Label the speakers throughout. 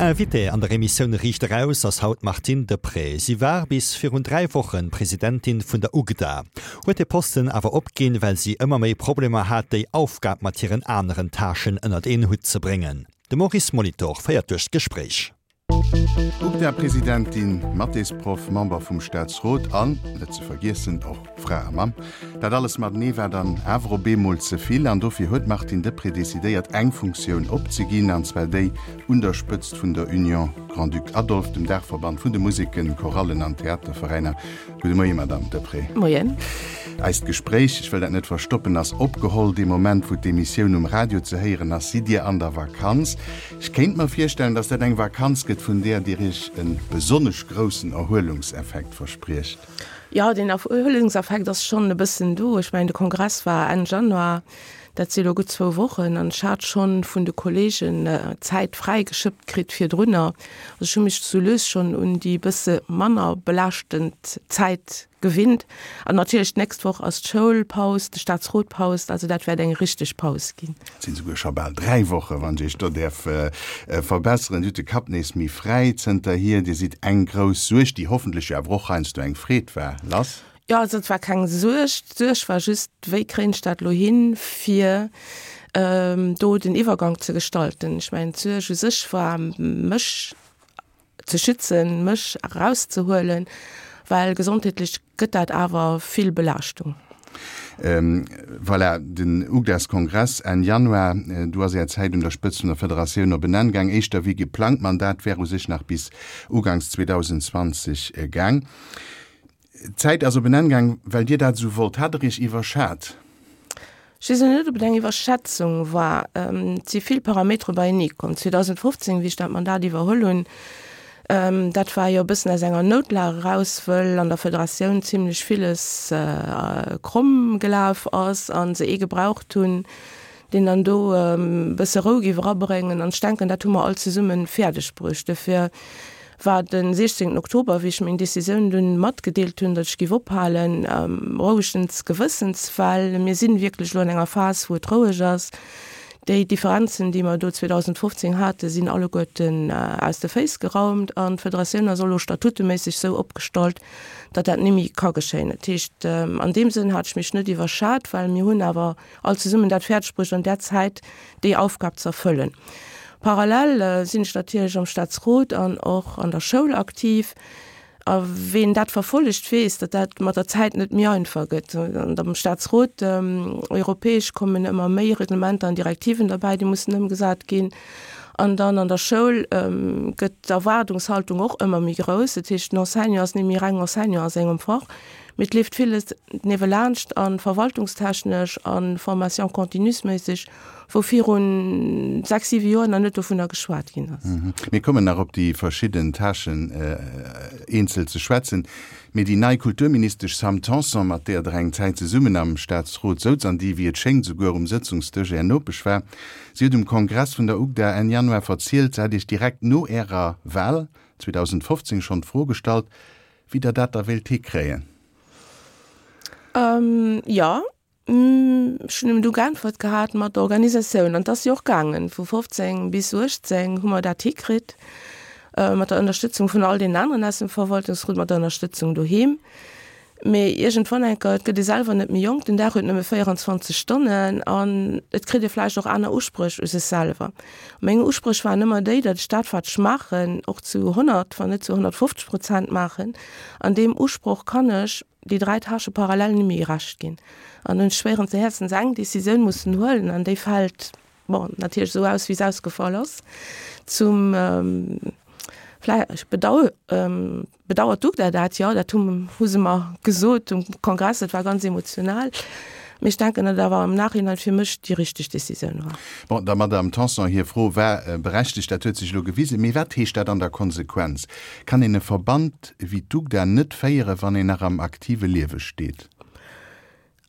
Speaker 1: Invitée an der Emissioun Riicht Eraus ass haut d'Martine Deprez. Si war bis virun 3 Wochen Presidentin vun der UGDA, huet de Posten awer opginn, well si ëmmer méi Problemer hat, déi Aufgab mat hiren aneren Tâchen ënnert een Hutt ze bréngen. De Maurice Molitor féiert duerch d'Gespréich.
Speaker 2: UGDA-Presidentin, Mathésproff, Member vum Staatsrot an, net ze vergiessen, och Fra a Mamm. Dat alles matenee war dann awer op eemol ze vill an dofir huet d'Martine Deprez decidéiert, eng Funktioun opzeginn, an zwar déi un der Spëtzt vun der Union Grand-Duc Adolphe, dem Daachverband vun de Museken, Chorallen an Theaterveräiner. Gudde Moie, Madamm Deprez.
Speaker 3: Moien.
Speaker 2: Eist Gespréich, ech wëll dat net verstoppen, ass opgeholl dee Moment, wou d'Emissioun um Radio ze héieren ass. Sidd Dir an der Vakanz? Ech kéint mer virstellen, dass dat eng Vakanz gëtt, vun där Dir Iech e besonnesch groussen Erhuelungseffekt verspriecht.
Speaker 3: Jo, deen Erhuelungseffekt ass schonn e bëssen do. Ech mengen, de Kongress war Enn Januar, dat si elo gutt zwou Wochen, an ech hat schonn vun de Kolleegen Zäit fräigeschëppt kritt virdrunner. Also ech hu mech sou lues schonn un déi bësse manner belaaschtend Zäit gewinnt. An natierlech d'nächst Woch ass d'Schoulpaus, de Staatsrot paust, also dat wäert eng richteg Paus ginn.
Speaker 2: Et sinn esouguer scho bal 3 Wochen, wann ech Iech do däerf verbesseren. Dir hutt de Kapp nees méi fräi zënterhier. Dir sidd eng grouss Suerg, déi hoffentlech jo awer och heiansdo eng Freed war, lass.
Speaker 3: Jo, also et war keng Suerg. D'Suerg war just, wéi kréien ech dat elo hin, fir do den Iwwergank ze gestalten. Ech mengen, d'Suerg u sech war, mech ze schützen, mech erauszehuelen, well gesondheetlech gëtt dat awer vill Belaaschtung.
Speaker 2: Voilà, den UGDAS-Kongress Enn Januar, do ass Är Zäit un der Spëtzt vun der Federatioun op en Enn gaang, éischter wéi geplangt. D'Mandat wär u sech nach bis uganks 2020 gaang. D'Zäit ass op en Enn gaang, well Dir dat esou wollt. Hat Der Iech iwwerschat?
Speaker 3: Ech weess elo net, ob et eng Iwwerschätzung war. Et si vill Parametere beienee komm. 2015, wéi ech dat Mandat iwwerholl hunn, dat war jo e bëssen aus enger Noutlag eraus, wëll an der Federatioun zimlech villes kromm gelaf ass a se ee gebraucht hunn, deen dann do e bësse Rou géif erabréngen. An ech denken, dat hu mer all zesumme fäerdeg bruecht. Dofir war de 16 Oktober, wéi ech meng Decisioun dunn matgedeelt hunn, datt ech géif ophalen, rouegens Gewëssens, well mir si wierklech elo an enger Phas, wou et roueg ass. Déi Differenzen, déi mer do 2015 haten, sinn alleguerten aus de Féiss geraumt an d'Federatioun ass och elo statuteméisseg sou opgestallt, datt dat nimmi ka geschéien. Dat heescht, an deem Sënn hat ech mech net iwwerschat, well mir hunn awer all zesummen dat fäerdeg bruecht an där Zäit déi Aufgab ze erfëllen. Parallel sinn ech natierlech am Staatsrot an och an der Schoul aktiv. A ween dat verfollegt, weess, datt dat mat der Zäit net méi einfach gëtt. An am Staatsrot, europäesch, kommen ëmmer méi Reglementer an Direktiven derbäi, déi mussen ëmgesat ginn. An dann an der Schoul gëtt d'Erwaardungshaltung och ëmmer méi grouss. Dat heescht, den Enseignant ass net méi reng Enseignant a sengem Fach, Mee et leeft villes niewelaanscht a verwaltungstechnesch a Formation continuesméisseg, wou viru 6, 7 Joer nach net dovunner geschwat ginn ass.
Speaker 2: Mir kommen nach op déi verschidden Tâchen eenzel ze schwätzen. Mee déi nei Kulturministesch Sam Tanson, mat deeër Der eng Zäit zesummen am Staatsrot souz an déi, wéi et schéngt, souguer um Sëtzungsdësch Är Nopesch war, si huet um Kongress vun der UGDA Enn Januar verzielt, se hätt Iech direkt no Ärer Wal 2015 schonn d'Fro gestallt, Wéi der dat da wéilt hikréien?
Speaker 3: Jo, ech hunn ëm du geäntwert gehat mat der Organisatioun. An 't ass jo och gaangen. Vu 15 bis 18 hu mer dat hikritt, mat der Ënnerstëtzung vun all deenen aneren aus dem Verwaltungsrot, mat der Ënnerstëtzung doheem. Mee iergendwann eng Kéier, et gëtt ee selwer net méi jonk, den Dag huet nëmme 24 Stonnen an et kritt ee vläicht och aner Uspréch u sech selwer. Meng Uspréch waren ëmmer déi, datt ech dat, wat ech maachen, och zu 100, wann net zu 150 Prozent maachen. An deem Usproch kann ech déi 3 Tâchë parallel net méi gerecht ginn. An hunn schwéieren Häerzens eng Decisioun mussen huelen an déi fält, bon, natierlech esou aus, wéi se ausgefall ass, zum vläicht Bedauern. Bedauert d'UGDA dat? Jo, dat hu hu se mer gesot um Kongress. Dat war ganz emotional. Mee ech denken, datt et awer am Nachhinein fir mech déi richteg Decisioun war.
Speaker 2: Bon, der Madamm Tanson hir Fro war berechtegt, dat huet sech elo gewisen. Mee wat heescht dat an der Konsequenz? Kann een e Verband wéi d'UGDA net féieren, wann een nach am aktive Liewe steet?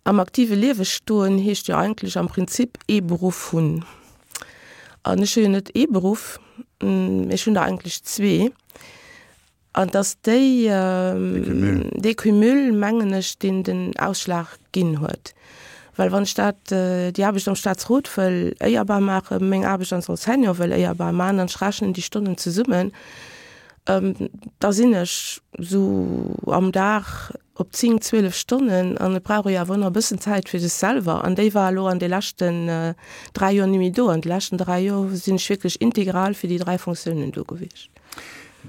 Speaker 3: Am aktive Liewe stoen heescht jo eigentlech am Prinzip ee Beruff hunn. An ech hu jo net ee Beruff, mee ech hunn der eigentlech zwee. An et ass déi, dee Cumul, mengen ech, deen den Ausschlag ginn huet. Well wann ech dat, déi Aarbecht am Staatsrot wëll éierbar maachen, meng Aarbecht als Enseignant wëll éierbar maachen an ech rechnen déi Stonnen zesummen, da sinn ech esou am Dag op 10, 12 Stonnen an et brauch ee jo awer och nach e bëssen Zäit fir sech selwer an déi war elo an de leschten 3 Joer ni méi do. An de leschten 3 Joer sinn ech wierklech integral fir déi 3 Fonctiounen do gewiescht.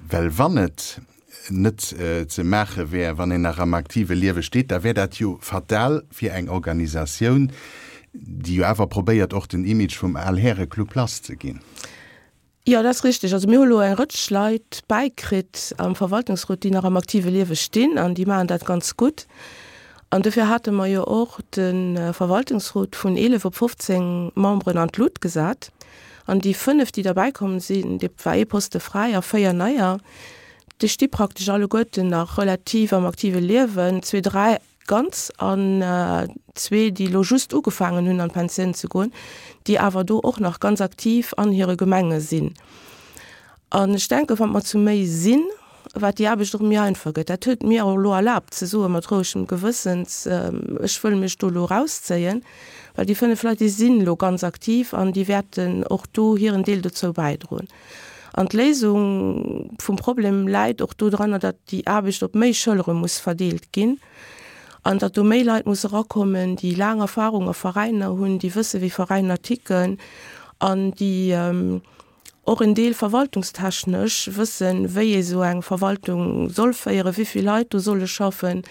Speaker 2: Well wann et net ze maache wär, wann een nach am aktive Liewe steet, da wär dat jo fatal fir eng Organisatioun, déi jo awer probéiert, och den Image vum Al-Häre-Club lasszeginn.
Speaker 3: Jo, dat ass richtig. Also mir hu lo eng Rëtsch Leit bäikritt am Verwaltungsrot, déi nach am aktive Liewe stinn an déi maachen dat ganz gutt. An dofir hate mer jo och de Verwaltungsrot vun 11 op 15 Memberen an d'Lut gesat. An déi 5, déi derbäikomm sinn, dee war ee Poste fräi a 4 neier, déi sti praktesch alleguerten nach relativ am aktive Liewen, zwee, dräi ganz an zwee, déi elo just ugefaangen hunn an d'Pensioun ze goen, déi awer do och nach ganz aktiv an hire Gemenge sinn. An ech denken, wa mer zu méi sinn, wat déi Aarbecht och méi einfach gëtt. Dat huet mir och elo erlaabt ze soen, mat rouegem Gewëssens, ech wëll mech do elo erauszéien, well déi 5 Leit, déi sinn elo ganz aktiv an déi wäerten och do hiren Deel dozou bäidroen. An d'Léisung vum Problem läit och dodranner, datt déi Aarbecht op méi Schëllere muss verdeelt ginn an datt do méi Leit musse erakommen, déi laang Erfahrung a Veräiner hunn, déi wësse wéi Veräiner ticken an déi och en Deel verwaltungstechnesch wëssen, wéi ee sou eng Verwaltung soll féieren, wéi vill Leit do solle schaffen,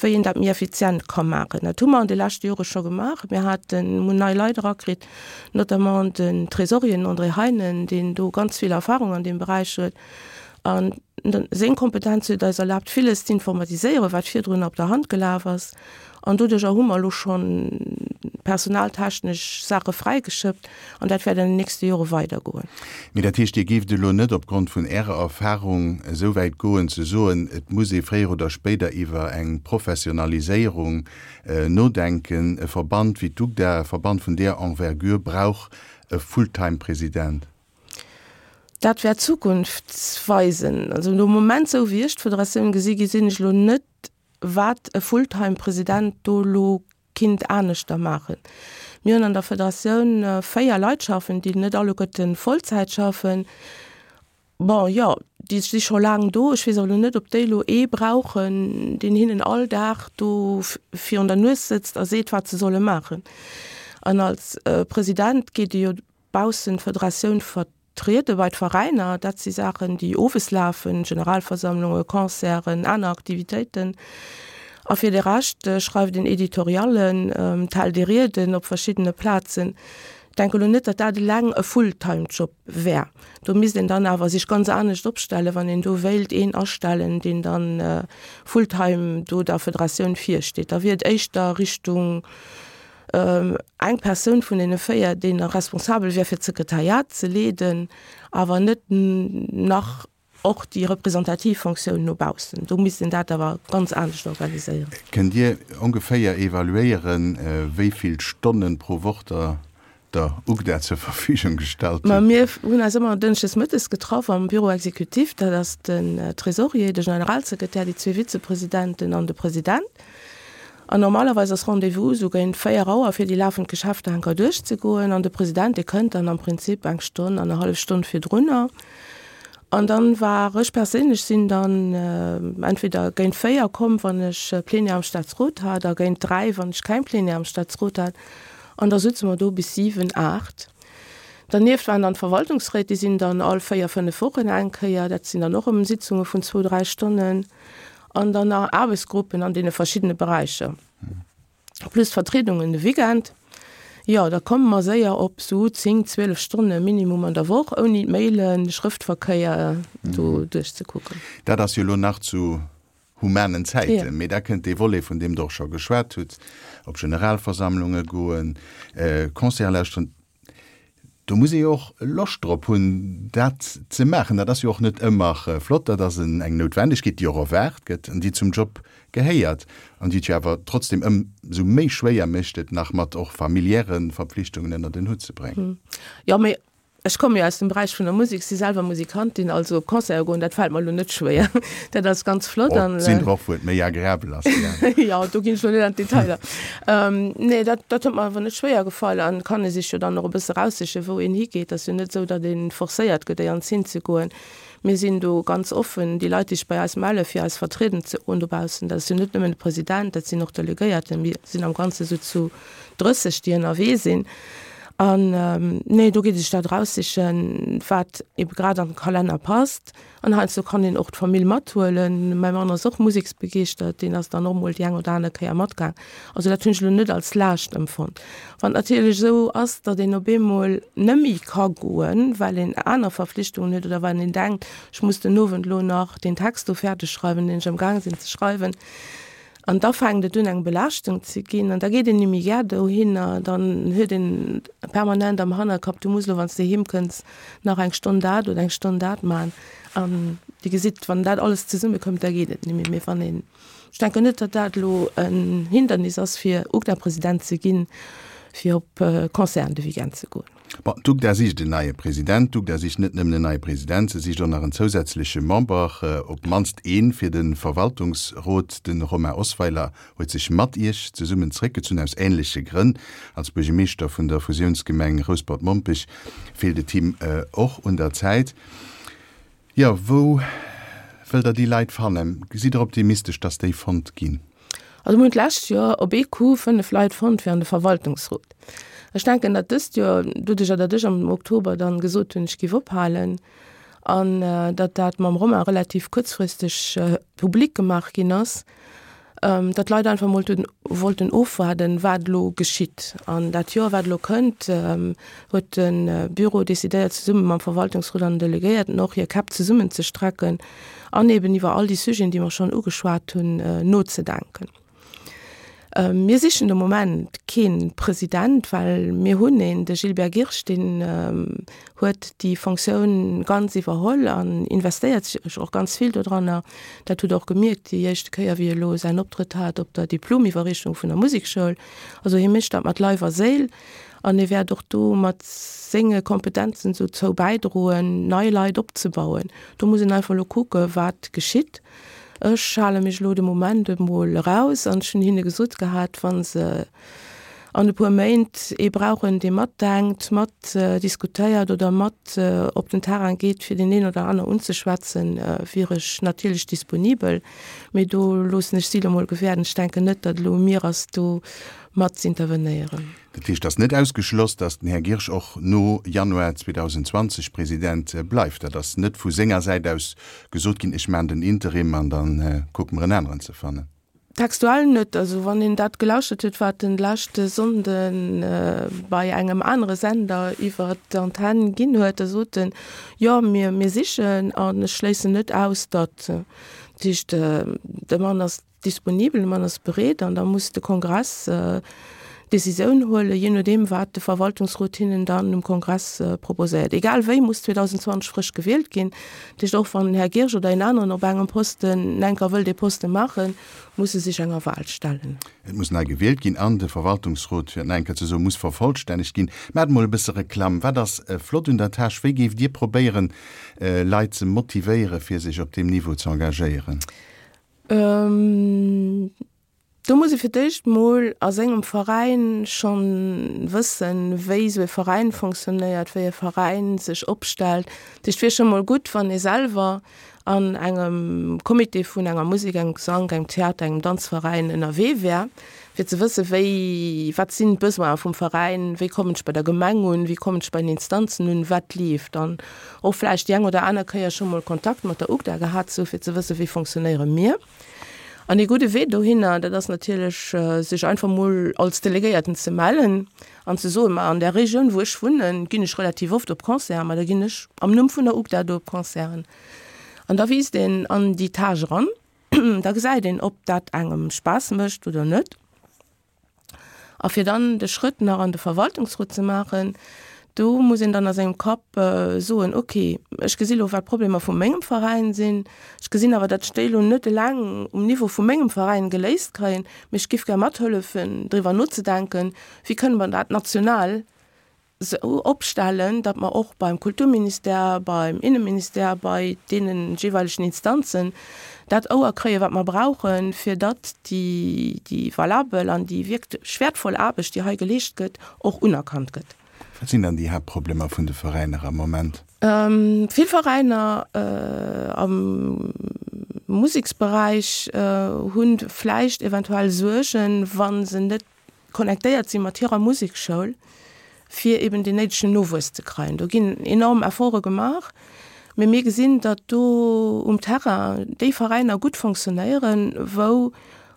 Speaker 3: wéi een dat méi effizient ka maachen. Dat hu mer an de leschte Jore scho gemaach. Mir haten, hunn nei Leit erakritt, notamment den Trésorier, den André Heinen, deen do ganz vill Erfahrung an deem Beräich huet. An seng Kompetenz huet eis erlaabt, villes z'informatiséieren, wat virdrun op der Hand gelaf ass. An doduercher hu mer elo scho personaltechnesch Saache fräigeschëppt an dat wäert an den nächste Jore weidergoen.
Speaker 2: Mee dat heescht, Dir géift elo net opgrond vun Ärer Erfahrung esou wäit goen ze soen, et muss ee fréier oder spéider iwwer eng Professionaliséierung nodenken, e Verband wéi d'UGDA, e Verband vun där Envergure brauch e Fulltime-President?
Speaker 3: Dat wäert d'Zukunft weisen. Also de Moment, esou wéi ech d'Federatioun gesi, gesinn ech elo net, wat e Fulltime-President do elo kinnt aneschter maachen. Mir hunn an der Federatioun 4 Leit schaffen, déi net alleguerte Vollzäit schaffen. Bon, jo, déi si scho laang do. Ech weess awer elo net, ob déi elo ee brauchen, deen hinnen all Dag do virun der Nues sëtzt a seet, wat se solle maachen. An als President geet ee jo baussent d'Federatioun vertriede bei d'Veräiner. Dat si Saachen, déi owes lafen, Generalversammlungen, Concerten, aner Aktivitéiten. A fir de Rescht schreift een Editoriallen, d'hält ee Rieden op verschiddene Plazen. Ech denke elo net, datt dat eleng e Fulltime-Job wär. Do misst een dann awer sech ganz anescht opstellen, wann een do wéilt een astellen, deen dann fulltime do der Federatioun virsteet. Da wier et éischter Richtung eng Persoun vun deene 4, deen da responsabel wär fir d'Sekretariat ze leeden, awer net nach och déi representativ Fonctioun no baussen. Do misst een dat awer ganz anescht organiséieren.
Speaker 2: Kënnt Dir ongeféier evaluéieren, wéi vill Stonnen pro Woch Der der UGDA zur Verfügung gestallt
Speaker 3: hutt? Ma mir hunn eis ëmmer dënschdes mëttes getraff am Bureau exécutif, dat ass den Trésorier, de Generalsekretär, déi zwee Vizepresidenten an de President. An normalerweis ass Rendez-vous esou géint 4 Auer fir déi lafend Geschäfter enker duerchzegoen. An de President, dee kënnt dann am Prinzip eng Stonn, annerhallef Stonn virdrunner. An dann war ech perséinlech sinn dann entweder géint 4 komm, wann ech Plenière am Staatsrot hat, a géint 3, wann ech keng Plenière am Staatsrot hat. An da sutze mer do bis 7, 8. Dernieft waren dann d'Verwaltungsréit, déi sinn dann all 4, 5 Wochen eng Kéier. Dat sinn dann och erëm Sitzunge vun zwou, dräi Stonnen. An dann nach Aarbechtsgruppen an deene verschiddene Beräicher, plus Vertriedungen de Weekend. Jo, da komme mer séier op esou 10, 12 Stonne Minimum an der Woch, ouni d'Mailen, de Schrëftverkéier do duerchzekucken.
Speaker 2: Dat ass jo elo nach zu humanen Zäiten, mee da kënnt dee Volet, vun deem Der och scho geschwat hutt, op Generalversammlunge goen, Concerte lauschteren. Do muss ee jo och Loscht drop hunn, dat ze maachen. Dat ass jo och net ëmmer flott. Dat ass eng Noutwendegkeet, déi och erwaart gëtt an déi zum Job gehéiert an déi et jo awer trotzdem ëmsou méi schwéier mécht, et nach mat och familiäre Verpflichtungen ënnert en Hutt ze bréngen.
Speaker 3: Jo, mee. Ech komme jo aus dem Beräich vun der Musek, si selwer Musikantin, also op Concerte goen, dat fält mer elo net schwéier. Dat ass ganz flott
Speaker 2: an. Et sinn der och, wou et méi agreabel ass,
Speaker 3: wéi aner. Jo, do ginn ech elo net an d'Detailer. Nee, dat, dat huet mer awer net schwéier gefall an et kann ee sech jo dann och e bësse eraussichen, wou een higeet. Et ass jo net esou, datt ee forcéiert gëtt, éier hinzegoen. Mir sinn do ganz offen, déi Leit, déi sech bei eis mellen, fir eis vertrieden ze goen dobaussen, dat ass jo net nëmmen de President, dat sinn och Delegéierten. Mir sinn am Ganze sou zu 30, déi ënnerwee sinn. An nee, do geet ee sech dat eraussichen, wat ebe grad an de Kalenner passt. An heiansdo kann een och d'Famill mathuelen. Mäi Mann ass och museksbegeeschtert, deen ass dann och mol déi eng oder aner Kéier matgaang. Also dat hunn ech elo net als Laascht empfonnt. Wann et natierlech esou ass, datt een op eemol nëmmi ka goen, well een aner Verflichtungen huet oder well een denkt, ech muss den Owend elo nach deen Text do fäerdeg schreiwen, deen ech amgaang sinn ze schreiwen, an da fänkt et un eng Belaaschtung ze ginn an da geet een nimmi gär dohinner, dann huet een permanent am Hannerkapp, du muss elo, wann s de heem kënns, nach eng Stonn dat oder eng Stonn dat man. An Dir gesitt, wann dat alles zesummekëmmt, da geet et nimmi. Mee wann een Ech denken net, datt dat elo en Hindernis ass, fir UGDA-President ze ginn, fir op Concerten de Weekend ze goen.
Speaker 2: Bon, d'UGDA sicht en neie President. D'UGDA sicht net nëmmen en neie President, se sicht och nach en zousätzleche Member, op d'mannst een, fir de Verwaltungsrot. De Romain Osweiler huet sech mat Iech zesummen zeréckgezunn, aus änleche Grënn. Als Buergermeeschter vun der Fusiounsgemeng Rouspert-Mompech feelt et him och un der Zäit. Jo, wou wëllt Der déi Leit fannen? Sidd Der optimistesch, dass déi fonnt ginn?
Speaker 3: Also mir hunn d'lescht Joer op ee Coup 5 Leit fonnt fir an de Verwaltungsrot. Ech denken, datt dëst Joer, doduercher datt ech am Oktober dann gesot hunn, ech géif ophalen, an datt dat mam Romain relativ kuerzfristeg public gemaach ginn ass, datt d'Leit einfach emol wollten ofwaarden, wat elo geschitt. An dat Joer, wat elo kënnt, huet de Bureau decidéiert, zesumme mam Verwaltungsrot an den Delegéierten och hir Käpp zesummenzestrecken an eben iwwer all déi Sujeten, déi mer schonn ugeschwat hunn, nozedenken. Mir sichen de Moment kee President, well mir hunn een, de Gilbert Girsch, deen huet déi Fonctioun ganz iwwerholl an investéiert sech och ganz vill dodranner. Dat hutt Der och gemierkt déi éischte Kéier, wéi e lo säin Optrëtt hat op der Diplomiwwerreechung vun der Musekschoul. Also hie mécht dat mat Leif a Séil an hie wäert och do mat senge Kompetenzen dozou bäidroen, nei Leit opzebauen. Do muss een einfach elo kucke wat geschitt. Ech hale mech elo de Moment emol eraus an ech hunn hinne gesot gehat, wa se an e puer Méint ee brauchen, dee matdenkt, mat diskutéiert oder mat op den Terrain geet, fir deen een oder aner unzeschwätzen, wier ech natierlech disponibel. Mee do loossen ech si elo mol gewäerden. Ech denken net, datt elo u mir ass, do mat z'intervenéieren.
Speaker 2: Dat heescht, et ass net ausgeschloss, datt den Här Girsch och no Januar 2020 President bleift. Dat ass net vu senger Säit aus gesot ginn, ech maachen den Interim an da kucke mer en aneren ze fannen.
Speaker 3: Textuell net. Also wann een dat gelauschtert huet, wat en leschte Sonnde bei engem anere Sender iwwer d'Antenn ginn huet, da sot en, jo mir, mir sichen an ech schléissen net aus, datt. Dat heescht, de Mann ass disponibel, de Mann ass bereet an da muss de Kongress d'Decisioun huelen, jee nodeem wat de Verwaltungsrot hinnen dann um Kongress proposéiert. Egal wéi muss 2020 frësch gewielt ginn. Dat heescht, och wann den Här Girsch oder een aneren op engem Posten enker wëll dee Poste maachen, muss e sech enger Wahl stellen.
Speaker 2: Et muss nei gewielt ginn an de Verwaltungsrot, fir et nach eng Kéier ze soen, muss vervollstännegt ginn. Maacht emol e bësse Reklamm. Wat ass flott un der Tâche? Wéi géift Dir probéieren, Leit ze motivéieren, fir sech op deem Niveau ze engagéieren?
Speaker 3: Do muss ee fir d'éischt mol a sengem Veräin schonn wëssen, wéi esou e Veräin fonctionnéiert, wéi e Veräin sech opstellt. Dat heescht, et wier scho mol gutt, wann ee selwer an engem Comité vun enger Musek, engem Gesank, engem Theater, engem Danzveräin ënnerwee wär, fir ze wëssen, wéi, wat sinn d'Besoine vum Veräin, wéi kommen ech bei der Gemeng un, wéi kommen ech bei den Instanzen un, wat leeft. An och vläicht déi eng oder aner Kéier scho mol Kontakt mat der UGDA gehat ze hu fir ze wëssen, wéi fonctionnéiere mir. An ee gudde Wee dohinner, dat ass natierlech, sech einfach mol als Delegéierten ze mellen an ze soen, Ma an där Regioun, wou ech wunnen, ginn ech relativ oft op Concerten, ma da ginn ech am Numm vun der UGDA do op Concerten. An da wiisst een an déi Tâche eran, da gesäit een, ob dat engem Spaass mécht oder net. A fir dann de Schrëtt nach an de Verwaltungsrot ze maachen, do muss een dann a sengem Kapp soen, okay, ech gesi lo, wat d'Problemer vu mengem Veräin sinn, ech gesinn awer, datt ech déi lo net eleng um Niveau vu mengem Veräin geléist kréien, mee ech giff gär mathëllefen, driwwer nozedenken, wéi kënne mer dat national. Sou opstellen, datt mer och beim Kulturministère, beim Inneministère, bei deene jeeweilegen Instanzen dat Ouer kréien, wat mer brauchen, fir datt déi, déi valabel an déi wierklech wäertvoll Aarbecht, déi hei geleescht gëtt, och unerkannt gëtt.
Speaker 2: Wat sinn dann déi Haaptproblemer vun de Veräiner am Moment?
Speaker 3: Vill Veräiner am Museksberäich hu vläicht eventuell Suergen, wa se net connectéiert si mat hirer Musekschoul, fir eben deen néidegen Nowuess ze kreien. Do ginn enorm Efforte gemaach, mee mir gesinn, datt do um Terrain déi Veräiner gutt fonctionnéieren, wou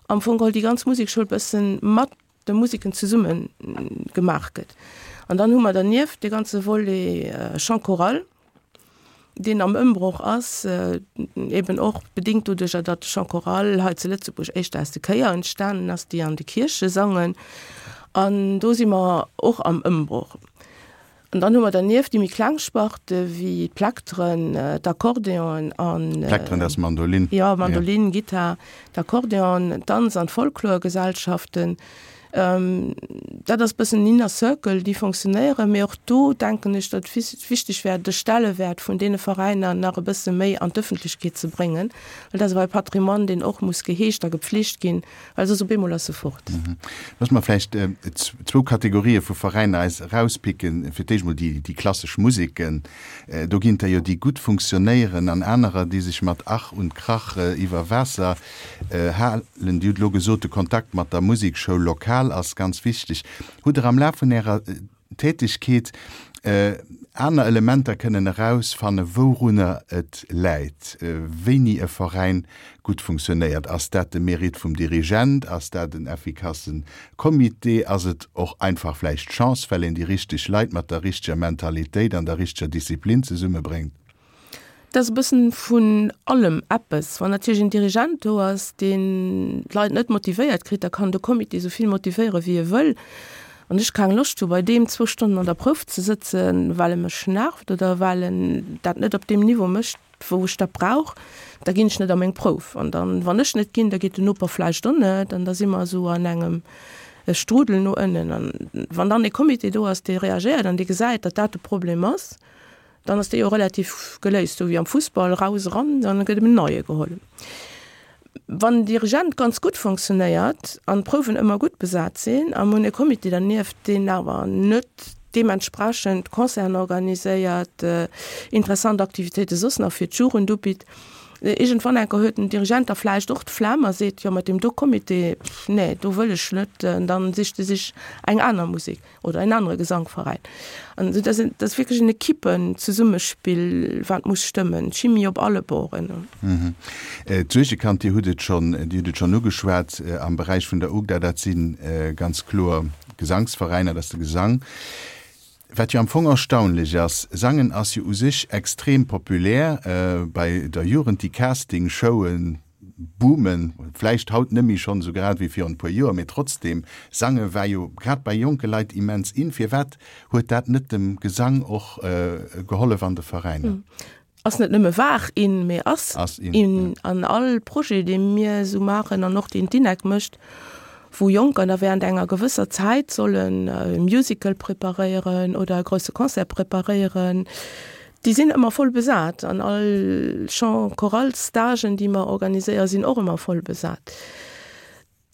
Speaker 3: am Fong geholl déi ganz Musekschoul bëssen mat de Museken zesumme gemaach gëtt. An dann hu mer dernieft dee ganze Volet Chant choral, deen am Ëmbroch ass, eben och bedingt doduercher, datt de Chant choral hei zu Lëtzebuerg éischter aus de Chéier entstanen ass, déi an de Kierche sangen. An do si mer och am Ëmbroch. An dann hu mer dernieft déi méi kleng Sparte wéi d'Plekteren, d'Akkordeonen an.
Speaker 2: Plekteren, dat ass Mandolin.
Speaker 3: Jo, Mandolin, Gittar, d'Akkordeon, d'Danz an d'Folklorgesellschaften. Dat ass e bëssen en Inner Circle, déi fonctionnéieren, mee och do denken ech, datt et wichteg wär, de Stellewäert vun deene Veräiner nach e bësse méi an d'Ëffentlechkeet ze bréngen, well dat ass awer e Patrimoine, deen och muss geheegt a gepflegt ginn, well soss op eemol ass e fort.
Speaker 2: Loosse mer vläicht zwou Kategorië vu Veräiner eis erauspicken. Fir d'éischt emol déi klassesch Museken. Do ginn et der jo, déi gutt funktionéieren an anerer, déi sech mat Ach und Krach iwwer Waasser halen. Dir hutt elo gesot, de Kontakt mat der Musekschoul lokal ass ganz wichteg. Hutt Der am Laf vun Ärer Tätigkeet aner Elementer kënnen erausfanne wourunner et läit, wéini e Veräin gutt funktionéiert? Ass dat de Mérite vum Dirigent? Ass dat en effikasse Comité? Ass et och einfach vläicht Chance, well een déi richteg Leit mat der richteger Mentalitéit an der richteger Disziplin zesummebréngt?
Speaker 3: Et ass e bëssen vun allem eppes. Wann natierlech en Dirigent do ass, deen d'Leit net motivéiert kritt, da kann de Comité esou vill motivéiere wéi e wëll. Wann ech keng Loscht hu bei deem zwou Stonnen an der Prouf ze sëtzen, well e mech nervt oder well en dat net op deem Niveau mécht, wou ech dat brauch, da ginn ech net a meng Prouf. An dann, wann ech net ginn, da geet den Noper vläicht och net an da si mer esou an engem Strudel no ënnen. An wann dann e Comité do ass, dee reagéiert an dee gesäit, datt dat de Problem ass, Dann ass dee jo relativ geléist, sou wéi am Fussball, raus, eran, dann gëtt en neie geholl. Wann den Dirigent ganz gutt fonctionnéiert an d'Prouwen ëmmer gutt besat sinn a mir hunn e Comité dernieft, deen awer net deementsprechend Concerten organiséiert, interessant Aktivitéite soss nach fir d'Jugend ubitt, iergendwann enker huet den Dirigent da vläicht och d'Flemm a seet, jo mat deem do Comité, pff, nee, do wëll ech net, an dann sicht e sech eng aner Musek. oder en anere Gesankveräin. An dat ass, dat ass wierklech en Ekippenzesummespill, wat muss stëmmen, d'Chimie op alle Borden.
Speaker 2: D'Suergekand, Dir hutt et schonn, Dir hutt et schonn ugeschwat, am Beräich vun der UGDA, dat si ganz kloer Gesangsveräiner, dat ass de Gesang. Wat jo am Fong erstaunlech ass, Sangen ass jo u sech extrem populär bei der Jugend, déi Casting-Showen, Boomen, vläicht haut net méi schonn esou grad wéi virun e puer Joer, mee trotzdem, Sange war jo grad bei jonke Leit immens in. Firwat huet dat net dem Gesang och gehollef an de Veräiner?
Speaker 3: Ass net nëmme war in, mee ass in. An all Projet, dee mir esou maachen an och deen d'INEC mécht, wou Jonker da während enger gewësser Zäit sollen e Musical preparéieren oder e grousse Concert preparéieren, Déi sinn ëmmer voll besat an all Chant Chorale Stagen, déi mer organiséieren, sinn och ëmmer voll besat.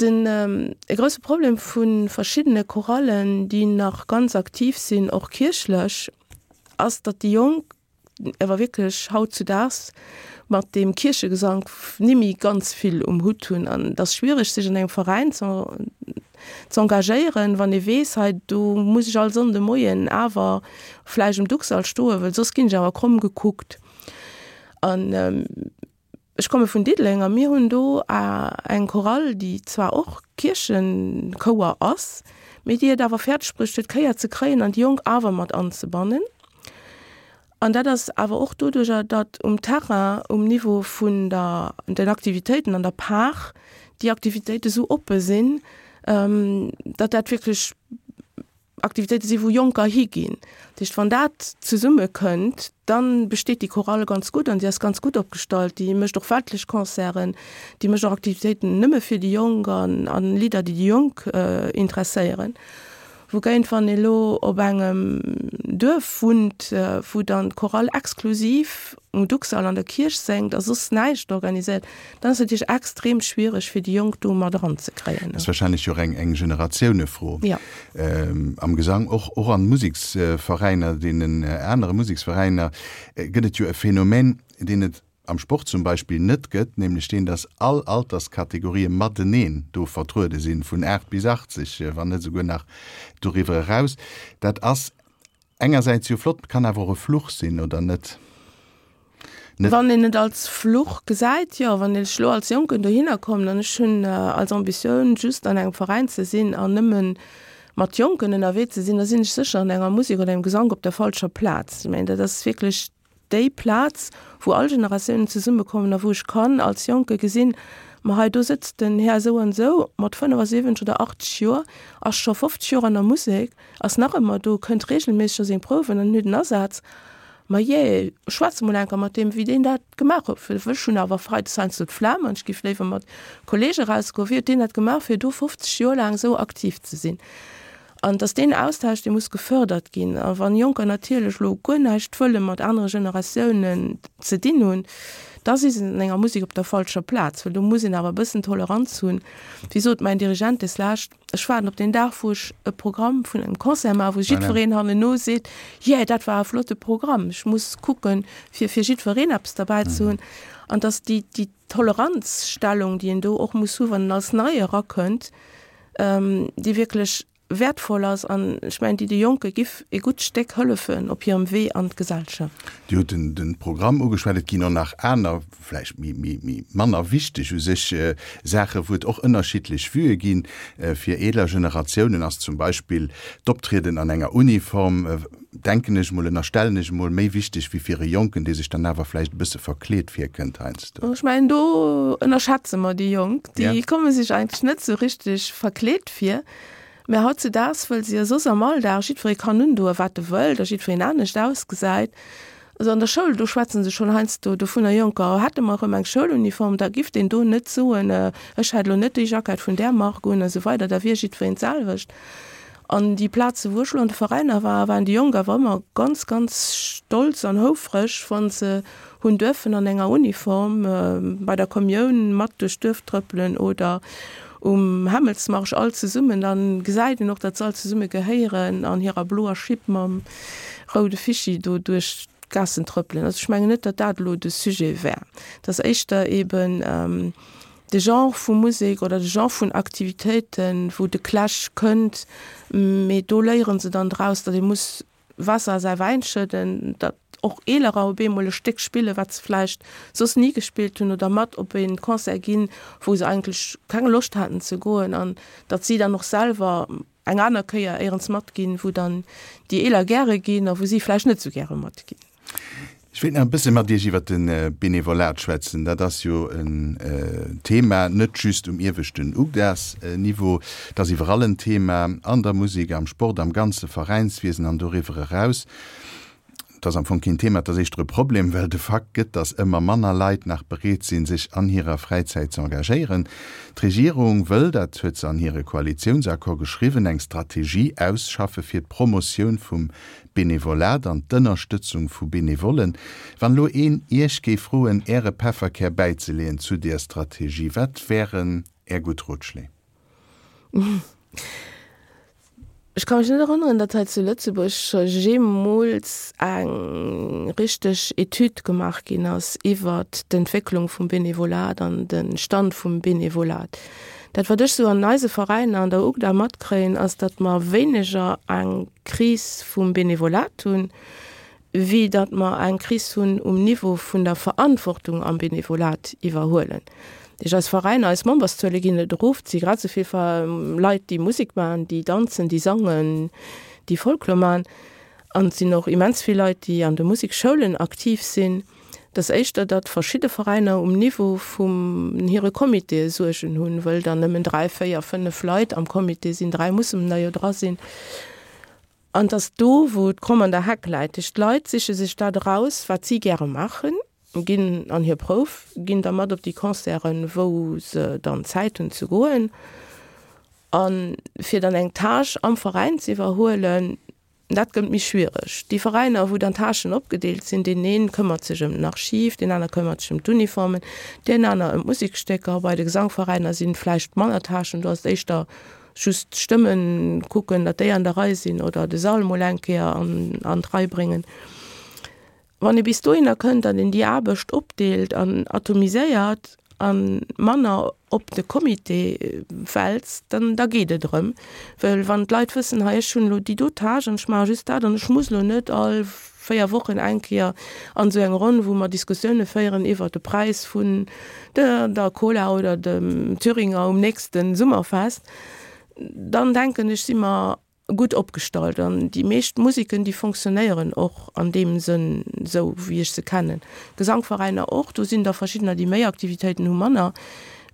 Speaker 3: Den e grousse Problem vu verschiddene Chorallen, déi nach ganz aktiv sinn, och kierchlech, ass, datt déi Jonk awer wierklech hautzudaags mat deem Kierchegesank nimmi ganz vill um Hutt hunn. An et ass schwiereg, sech an engem Veräin ze z'engagéieren, wann ee weess, hei do muss ech all Sonnde Moien awer vläicht um Ducksall stoen, well soss ginn ech awer kromm gekuckt. An ech komme vun Diddeleng a mir hunn do eng Chorale, déi zwar och Kierchechouer ass, mee déi et awer fäerdeg bruecht huet, d'Kéier ze kréien an déi Jonk awer mat anzebannen. An dat ass awer och doduerjer, datt um Terrain, um Niveau vun der, den Aktivitéiten an der Par, déi Aktivitéite sou oppe sinn, datt dat wierklech Aktivitéite sinn, wou Jonker higinn. Dat heescht, wann dat zesummekënnt, da besteet déi Chorale ganz gutt an déi ass ganz gutt opgestallt. Déi mécht och weltlech Concerten, déi mécht och Aktivitéiten nëmme fir déi Jonk an Lidder, déi déi Jonk interesséieren. Wougéint wann ee lo op engem Duerf wunnt, wou dann d'Chorale exklusiv um Duxall an der Kierch séngt a soss näischt organiséiert, dann ass et natierlech extrem schwiereg fir déi Jonk do mat eranzekréien.
Speaker 2: Dat ass wahrscheinlech jo och eng Generatiounefro.
Speaker 3: Jo.
Speaker 2: Am Gesang, och och an Museksveräiner, deenen anere Museksveräiner, gëtt et jo e Phänomen, deen et am Sport zum Beispill net gëtt, nämlech deen, dass all Alterskategorië mateneen do vertruede sinn, vun 8 bis 80, wann net esouguer nach doriwwer eraus. Dat ass engersäits jo flott, kann awer och e Fluch sinn, oder net?
Speaker 3: Net. Wann een et als Fluch gesäit, jo. Wann ech elo als Jonken dohinner kommen an ech hunn als Ambitioun just an engem Veräin ze sinn an nëmme mat Jonken ënnerwee ze sinn, da sinn ech sécher an enger Musek oder engem Gesank op der falscher Plaz. Ech mengen, dat ass wierklech déi Plaz, wou all Generatiounen zesummekommen a wou ech kann als Jonke gesinn, ma hei do sëtzt den Här esou an esou mat 75 oder 80 Joer, ass scho 50 Joer an der Musek, ass nach ëmmer do, kënnt reegelméisseg a seng Prouwen an huet en Asaz. Ma jee, schwätz emol enker mat deem, wéi deen dat gemaach huet, well ech hunn awer freides heiansdo d'Flemm an ech géif léiwer mat Kollege erausgoen. Wéi huet deen dat gemaach, fir do 50 Joer laang esou aktiv ze sinn? An dass deen Austausch, dee muss gefördert ginn. A wann Jonker natierlech elo guer näischt wëlle mat anere Generatiounen ze dinn hunn, da si se an enger Musek op der falscher Plaz, well do muss een awer e bëssen Toleranz hunn. Wéi sot mäin Dirigent deslescht, Ech waarden op deen Dag, wou ech e Programm vun engem Concert maachen, wou jiddwereen hannenno seet, Yeah, dat war e flotte Programm. Ech muss kucken, fir fir jiddwereen eppes derbäi ze hunn. An dass déi, déi Toleranzstellung, déi een do och muss hu wann en als Nei erakënnt, déi wierklech wäertvoll ass an ech mengen, déi de Jonke giff e gutt Stéck hëllefen op hirem Wee an d'Gesellschaft.
Speaker 2: Dir hutt den Programm ugeschwat. Et ginn och nach aner, vläicht méi manner wichteg u sech Saachen, wou et och ënnerschiddlech Vuë ginn. Fir eeler Generatiounen ass zum Beispill d'Optrieden an enger Uniform, denken ech emol, ënnerstellen ech emol, méi wichteg wéi fir e Jonken, dee sech dann awer vläicht e bësse verkleet virkënnt heiansdo.
Speaker 3: Ech mengen, do ënnerschätze mer déi Jonk. Déi komme sech eigentlech net esou richteg verkleet vir. Mä hautzedaags, wëll se jo soss am Alldag jiddweree kann undoen, wat e wëllt a jiddwereen anescht ausgesäit, also an der Schoul, do schwätze se schonn heiansdo dovunner, Jonker, hätte mer erëm eng Schouluniform, da giff deen do net soen, ech hätt elo net déi Jackett vun där Mark un a sou weider, da wier jiddwereen d'selwecht. An déi Plaze wou ech elo an de Veräiner war, waren déi Jonk awer ëmmer ganz, ganz stolz an houfreg, wa se hunn duerfen an enger Uniform bei der Kommioun mat duerch d'Duerf trëppelen oder um Hämmelsmarsch all zesummen. Dann gesäit een och, datt se all zesumme gehéieren an hirer bloer Schipp mam roude Fischi do duerch d'Gaassen trëppelen. Also ech mengen net, datt dat elo de Sujet wär. Et ass éischter eben de Genre vu Musek oder de Genre vun Aktivitéiten, wou de Clash kënnt, mee do léiere se dann draus, datt ee muss Waasser a säi Wäin schëdden, datt och Eelerer op eemol e Stéck spillen, wat se vläicht soss ni gespillt hunn, oder mat op e Concert ginn, wou se eigentlech keng Loscht haten ze goen, an datt si dann och selwer eng aner Kéier éierens matginn, wou dann déi Eeler gäre ginn a wou si vläicht net esou gäre matginn.
Speaker 2: Ech wéilt nach e bësse mat Iech iwwert de Benevolat schwätzen. Dat ass jo en Thema net just um ieweschten UGDAS-Niveau, et ass iwwerall en Thema, an der Musek, am Sport, am ganze Veräinswiesen an doriwwer eraus. Et ass am Fong keen Thema, et ass éischter e Problem, well de Fakt gëtt, datt ëmmer manner Leit nach bereet sinn, sech an hirer Fräizäit ze engagéieren. D'Regierung wëll, dat huet se an hire Koalitiounsaccord geschriwwen, eng Strategie ausschaffe fir d'Promotioun vum Benevolat an d'Ënnerstëtzung vu Benevollen. Wann elo een Iech géif froen, Äre Pefferkär bäizeleeën zu deer Strategie, wat wären Är gutt Rotschléi?
Speaker 3: Ech ka mech net erënneren, datt hei zu Lëtzebuerg scho jeemools eng richteg Etüd gemaach ginn ass iwwert d'Entwécklung vum Benevolat an de Stand vum Benevolat. Dat, wat ech sou an eise Veräiner an der UGDA matkréien, ass, datt mer wéineger eng Kris vum Benevolat hunn, wéi datt mer eng Kris hunn um Niveau vun der Verantwortung am Benevolat iwwerhuelen. Dat heescht, eis Veräiner, eis Memberszuele ginn net erof, et si grad esou vill Leit, déi Musek maachen, déi danzen, déi sangen, déi Folklor maachen. An et sinn och immens vill Leit, déi an de Musekschoulen aktiv sinn. Et ass éischter, datt verschidde Veräiner um Niveau vun hire Comitéë Suergen hunn, wëll dann nëmmen 3, 4, 5 Leit am Comité sinn, 3 mussen der jo dra sinn. An et ass do, wou d'Kromm an der Heck läit. Duerch d'Leit siche sech dat eraus, wat si gäre maachen, ginn an hir Prouf, ginn da mat op déi Concerten, wou se dann Zäit hunn ze goen. A fir dann eng Tâche am Veräin ze iwwerhuelen, dat gëtt méi schwiereg. Déi Veräiner, wou dann d'Tâchen opgedeelt sinn, deen een këmmert sech ëm den Archiv, deen aner këmmert sech ëm d'Uniformen, deen aner ëm d'Musekstécker. Bei de Gesangveräiner sinn vläicht manner Tâchen, do ass et éischter just d'Stëmmen kucken, datt déi an der Rei sinn oder de Sall mol eng Kéier an an d'Rei bréngen. Wann ee bis dohinner kënnt, datt een déi Aarbecht opdeelt an atomiséiert a manner op de Comité wälzt, dann da geet et erëm. Well wann d'Leit wëssen, hei ech hunn elo déi do Tâche an ech maache just dat an ech muss elo net all 4 Wochen eng Kéier an esou eng Ronn, wou mer Diskussioune féieren iwwert de Präis vun der der Cola oder dem Thüringer um nächste Summerfest, dann denken ech, si mer gutt opgestallt. An déi meescht Musiken, déi fonctionnéieren och an deem Sënn esou, wéi ech se kennen. Gesangveräiner och, do sinn der verschiddener, déi méi Aktivitéiten hu, manner.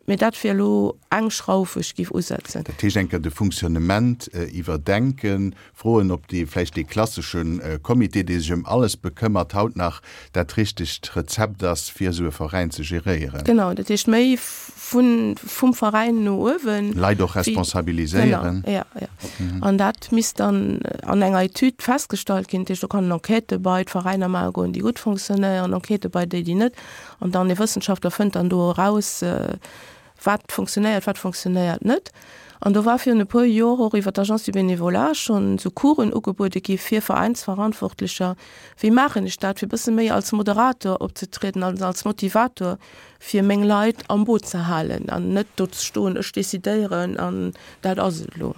Speaker 3: Mee dat wier elo eng Schrauf, wou ech géif usetzen.
Speaker 2: Dat heescht, eng Kéier de Fonctionnement iwwerdenken, Froen, ob dee vläicht dee klassesche Comité, dee sech ëm alles bekëmmert, haut nach dat richtegt Rezept ass, fir esou e Veräin ze geréieren.
Speaker 3: Genau, dat heescht méi vun, vum Veräin no uewen.
Speaker 2: Leit och responsabiliséieren.
Speaker 3: Genau, ja, ja. An dat misst dann an enger Etüd festgestallt ginn. Dat heescht, do kann en Enquêtë bei d'Veräiner maache goen, déi gutt fonctionnéieren, Enquêtë bei déi, déi net. An dann e Wëssenschaftler fënnt dann do eraus, wat fonctionnéiert, wat fonctionnéiert net. An do war virun e puer Jor och iwwer d'Agence du Bénévolat schonn esou Coursen ugebuede gi fir Veräinsverantwortlecher, wéi maachen ech dat, fir e bësse méi als Moderator opzetrieden, als als Motivator, fir meng Leit am Boot ze halen an net do ze stoen, ech decidéieren an dat ass et elo.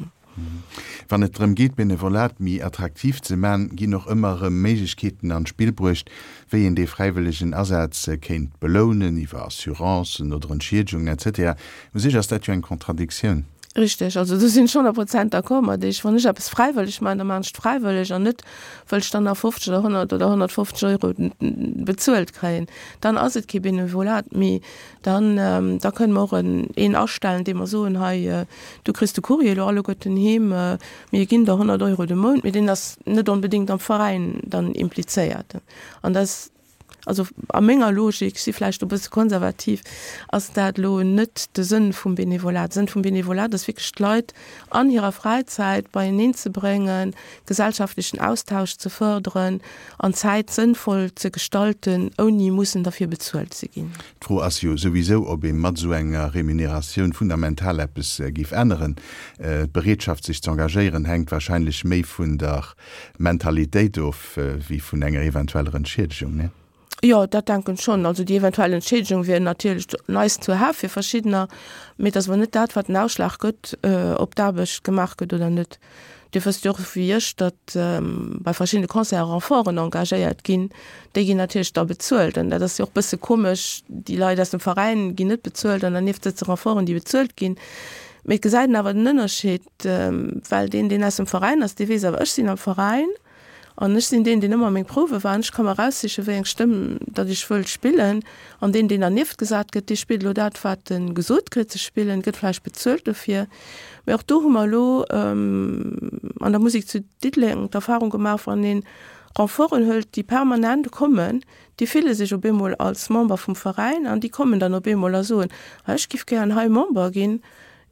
Speaker 2: Wann et drëm geet, d'Benevolat méi attraktiv ze man, ginn och ëmmer erëm Méiglechkeeten an d'Spill bruecht, wéi een dee fräiwëllegen Asaz kéint belounen, iwwer Assurancen oder Entschiedegungen etc. U sech ass dat jo eng Contradictioun.
Speaker 3: Richteg, also do sinn ech 100 Prozent d'accord mat Iech. Wann ech eppes fräiwëlleg maachen, da maachen ech et fräiwëlleg an net, wëll ech dann nach 50 oder 100 oder 150 Euro bezuelt kréien. Dann ass et kee Benevolat méi. Dann, da kënne mer och en, een astellen, dee mer soen, hei, du kriss de Courrier elo alleguerten heem, mir ginn der 100 Euro de Mount, mee deen ass net onbedéngt am Veräin dann implizéiert. An dat ass, also a menger Logik, ech si vläicht do e bësse konservativ, ass dat elo net de Sënn vum Benevolat. De Sënn vum Benevolat ass wierklech d'Leit an hirer Fräizäit beieneen ze bréngen, gesellschaftlechen Austausch ze fërderen an d'Zäit sënnvoll ze gestalten, ouni mussen derfir bezuelt ze ginn.
Speaker 2: D'Fro ass jo souwisou, ob ee mat esou enger Remuneratioun fundamental eppes géif änneren. D'Bereetschaft sech ze engagéieren hänkt wahrscheinlech méi vun der Mentalitéit of wéi vun enger eventueller Entschiedegung, ne?
Speaker 3: Jo, dat denken ech schonn. Also déi eventuell Entschiedegung wier natierlech nice to have fir verschiddener, mee et ass awer net dat, wat den Ausschlag gëtt, ob d'Aarbecht gemaach gëtt oder net. Dir wësst jo och wéi ech, datt bei verschiddene Concerte Renforten engagéiert ginn. Déi ginn natierlech da bezuelt an dat ass jo och bësse komesch, déi Leit aus dem Veräin ginn net bezuelt an dernieft sëtze Renforten, déi bezuelt ginn. Mee et gesäit een awer den Ënnerscheed, well deen, deen aus dem Veräin ass, dee weess awer, ech sinn am Veräin an ech sinn deen, deen ëmmer meng Prouwe war an ech ka mer eraussichen, wéi eng Stëmm datt ech wëll spillen. An deen, deen dernieft gesat gëtt, dee spillt elo dat, wat e gesot kritt ze spillen, gëtt vläicht bezuelt dofir. Mee och do hu mer elo an der Musek zu Diddeleng d'Erfahrung gemaach, wann ee Renforten hëlt, déi permanent kommen, déi fille sech op eemol als Member vum Veräin an déi kommen dann op eemol a soen, ah ech giff gären hei Member ginn.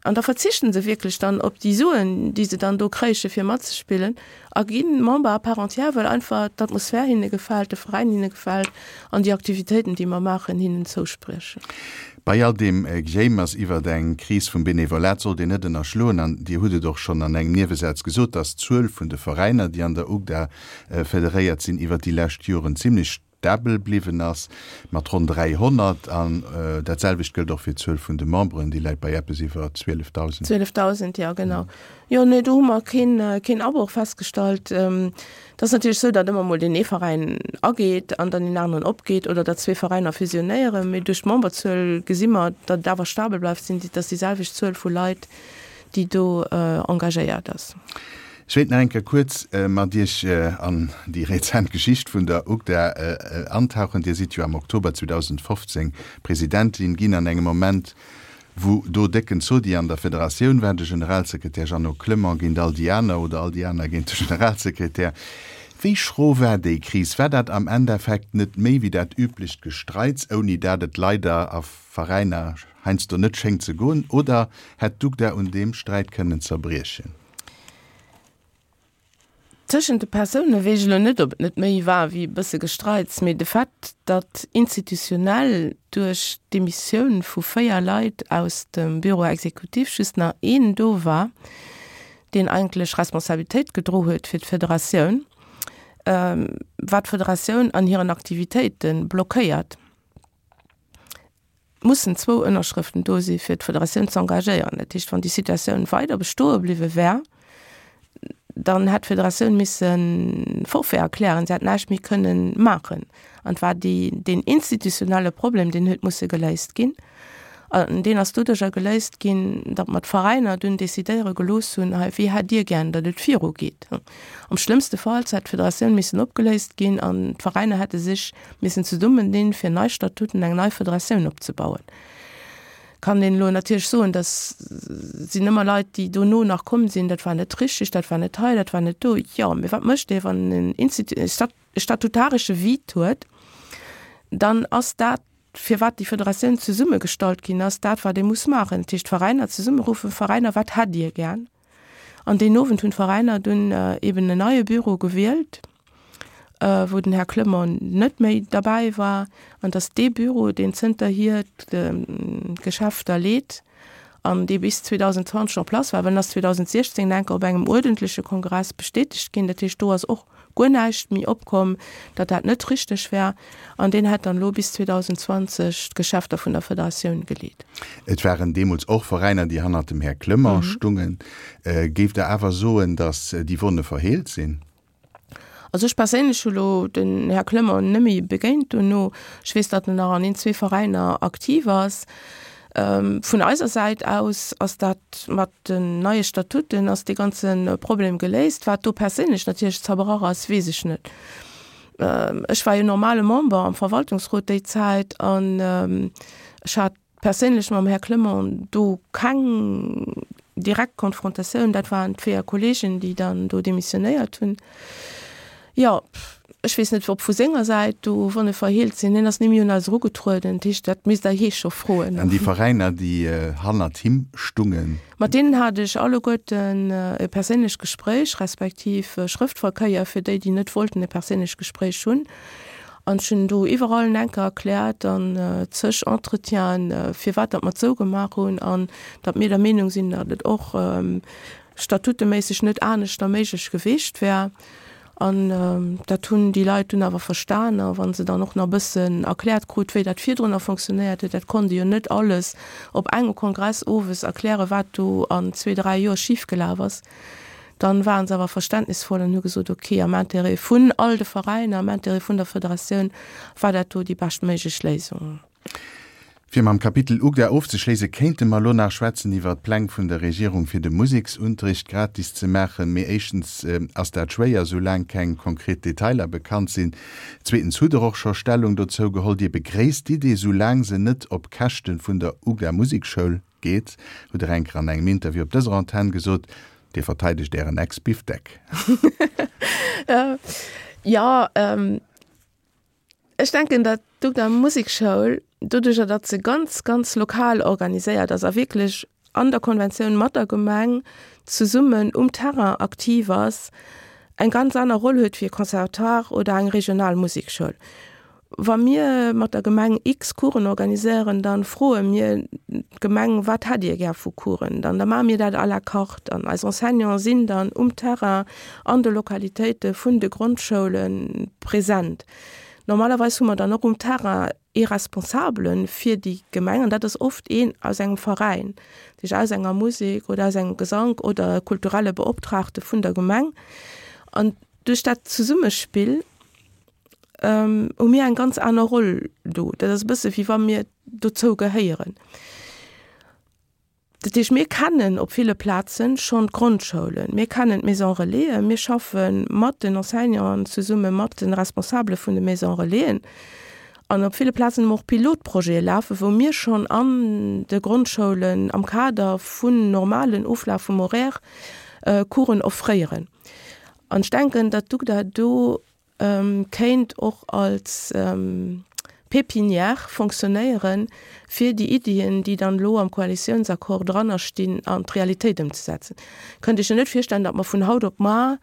Speaker 3: An da verzichten se wierklech dann op déi Suen, déi se dann do kréiche fir matzespillen a gi Member à part entière, well einfach d'Atmosphär hinne gefält, de Veräin hinne gefält an déi Aktivitéiten, déi mer maachen, hinnen zouspriechen.
Speaker 2: Bei all deem Gejéimers iwwert eng Kris vum Benevolat sollt een net ënnerschloen, an Dir hutt et och schonn an engem Niewesaz gesot, datt d'Zuel vun de Veräiner, déi an der UGDA federéiert sinn, iwwert déi lescht Joren zimlech stabel bliwwen ass, mat ronn 300. An dat selwecht gëllt och fir d'Zuel vun de Memberen, déi läit bei eppes iwwer 12.000.
Speaker 3: 12.000, jo genau. Jo, nee, do hu mer keen, keen Abroch festgestallt. Et ass natierlech esou, datt ëmmer mol deen ee Veräin ageet an dann deen aneren opgeet oder datt zwee Veräiner fusionéieren. Mee duerch d'Memberzuel gesi mer, datt et awer stabel bleift, sinn et ass déi selwecht Zuel vu Leit, déi do engagéiert ass.
Speaker 2: Ech wéilt nach eng Kéier kuerz mat Iech an déi rezent Geschicht vun der UGDA antauchen. Dir sidd jo am Oktober 2015 Presidentin ginn an engem Moment, wou do décken Zodi an der Federatioun war, de Generalsekretär Jeannot Clement géint all déi aner oder all déi aner géint de Generalsekretär. Wéi schro war déi Kris? War dat am Endeffekt net méi wéi dat üblecht Gestreits, ouni dat et leider a Veräiner heiansdo net schéngt ze goen, oder hätt d'UGDA un deem Sträit kënnen zerbriechen?
Speaker 3: Tëschent de Persoune weess ech elo net, ob et net méi war wéi e bësse Gestreits, mee de Fait, datt institutionell duerch d'Demissioun vu 4 Leit aus dem Bureau exécutif just nach een do war, deen eigentlech Responsabilitéit gedro huet fir d'Federatioun, war d'Federatioun an hiren Aktivitéite blockéiert. Mussen zwou Ënnerschrëften do si fir d'Federatioun ze engagéieren. Dat heescht, wann déi Situatioun weider bestoe bliwwe wär, dann hätt d'Federatioun misse Forfait erklären, se hätt näischt méi kënnen maachen. An et war déi, deen institutionelle Problem, deen huet musse geléist ginn. An deen ass doduercher geléist ginn, datt mer d'Veräiner dunn decidéiere gelooss hunn, hei, wéi hätt Dir gären, datt et virugeet. Am schlëmmste Fall hätt d'Federatioun missen opgeléist ginn an d'Veräiner hätte sech missen zesummendinn, fir nei Statuten, eng nei Federatioun opzebauen. Kann een elo natierlech soen, dat sinn ëmmer Leit, déi dono nach komm sinn, dat war net richtig, dat war net hei, dat war net do. Jo, mee wat mécht ee, wann en Institut, e statutaresche Vide huet, dann ass dat, firwat déi Federatioun zesummegestallt ginn ass, dat wat ee muss maachen, dat heescht d'Veräiner zesummeruffen, Veräiner, wat hätt Dir gär? An deen Owend hunn d'Veräiner dunn eben en neie Büro gewielt, wou den Här Clement net méi derbäi war, an et ass dee Büro, deen zënterhier d'Geschäfter leet an dee bis 2020 en place war, well en ass 2016 enker op engem uerdentleche Kongress bestätegt ginn, dat heescht do ass och guer näischt méi opkomm, datt dat net richteg wär, an deen hätt dann elo bis 2020 d'Geschäfter vun der Federatioun geleet.
Speaker 2: Et waren deemools och Veräiner, déi hannert dem Här Clement stungen. Géift Der awer soen, datt déi Wonne verheelt sinn?
Speaker 3: Also ech perséinlech hu lo den Här Clement net méi begéint dono. Ech weess, datt en nach an een, zwee Veräiner aktiv ass. Vun eiser Säit aus ass dat mat den neie Statuten ass dee ganze Problem geléist. Wat do perséinlech natierlech zerbrach ass, weess ech net. Ech war jo normale Member am Verwaltungsrot déi Zäit an ech hat perséinlech mam Här Clement do keng direkt Konfrontatioun. Dat waren d'véier Kollegen, déi dann do demissionéiert hunn. Jo, ech weess net, ob vu senger Säit do Wonne verheelt sinn. Hien ass ni méi un eis erugetrueden. Dat heescht, dat misst Der hie scho froen.
Speaker 2: An déi Veräiner, déi hannert him stungen?
Speaker 3: Mat deenen hat ech alleguerten e perséinlecht Gespréich, respektiv Schrëftverkéier fir déi, déi net wollten e perséinlecht Gespréich hunn. An ech hunn do iwwerall en enker erkläert an zeg Entretienen, firwat datt mer et esou gemaach hunn an datt mir der Meenung sinn, datt et och statuteméisseg net aneschter méiglech geweecht wär. An dat hunn déi Leit dunn awer verstan. A wa se dann och nach e bëssen erkläert krut, wéi dat virdrunner fonctionnéiert huet, dat konnt ee jo net alles op engem Kongress owes erklären, wat do an zwee, dräi Joer schifgelaf ass, dann ware se awer verständnisvoll an hu gesot, okay, am Intérêt vun all de Veräiner, am Intérêt vun der Federatioun war dat do déi beschtméiglech Léisung.
Speaker 2: Fir mam Kapitel UGDA ofzeschléisse kéinte mer elo nach schwätzen iwwert d'Pläng vun der Regierung fir de Museksunterricht gratis ze maachen. Mee éischtens ass dat schwéier, soulaang keng konkret Detailer bekannt sinn. Zweetens hutt Der och scho Stellung dozou geholl. Dir begréisst d'Idee, soulaang se net op Käschte vun der UGDA Musekschoul geet, hutt Der eng Kéier an engem Interview op dëser Antenn gesot. Dir verteidegt Ären Ex-Bifdeck.
Speaker 3: Jo, Ech denken, datt d'UGDA Musekschoul, doduercher datt se ganz, ganz lokal organiséiert ass a wierklech an der Konventioun mat der Gemeng zesummen um Terrain aktiv ass, eng ganz aner Roll huet wéi e Conservatoire oder eng regional Musekschoul. Wa mir mat der Gemeng x Coursen organiséieren, da froe mir d'Gemeng, Wat hätt Dir gär vu Coursen? Dann da maache mir dat à la carte an eis Enseignante sinn dann um Terrain an de Lokalitéite vun de Grondschoule present. Normalerweis hu mer dann och um Terrain ee Responsabele fir déi Gemeng, an dat ass oft een aus engem Veräin, dat heescht aus enger Musek oder aus engem Gesank oder e kulturelle Beoptraagte vun der Gemeng. An duerch dat Zesummespill hu mir eng ganz aner Roll do. Dat ass e bësse wéi wa mir dozou gehéieren. Dat heescht, mir kennen op ville Plaze schonn d'Grondschoulen, mir kennen d'Maisons Relaisen, mir schaffe mat den Enseignanten zesumme mat de Responsabele vun de Maisons Relaisen. An op ville Plazen hu mer och Pilotprojete lafen, wou mir schonn an de Grondschoulen am Kader vun normalen Oflaf vum Horaire Coursen offréieren. An ech denken, datt d'UGDA do kéint och als Pépinière fonctionnéieren, fir déi Iddien, déi dann elo am Koalitiounsaccord dranner stinn, an d'Realitéit ëmzesetzen. Kënnt Iech jo net virstellen, datt mer vun haut op mar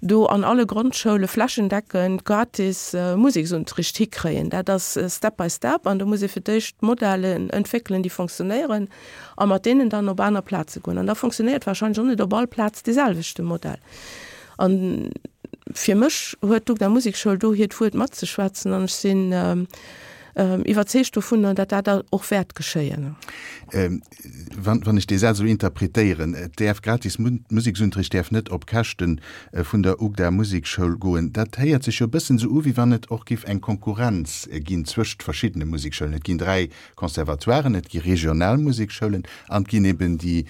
Speaker 3: do an alle Grondschoule flächendeckend gratis Museksunterricht hikréien. Dat ass step by step an do muss ee fir d'éischt Modellen entwéckelen, déi fonctionnéieren a mat deenen dann op aner Plaze goen. An da fonctionnéiert wahrscheinlech och net op all Plaz deeselwechte Modell. An fir mech huet d'UGDA Musekschoul do hiert Wuert matzeschwätzen an ech sinn iwwerzeegt dovunner, datt dat och wäert geschéien.
Speaker 2: Wann ech dee Saz esou interpretéieren, et däerf gratis Museksunterricht däerf net op Käschte vun der UGDA Musekschoul goen, dat héiert sech jo e bëssen esou u wéi wann et och géif eng Konkurrenz ginn zwëscht verschiddene Musekschoulen. Et ginn 3 Conservatoiren, et gi regional Musekschoulen an et ginn eben déi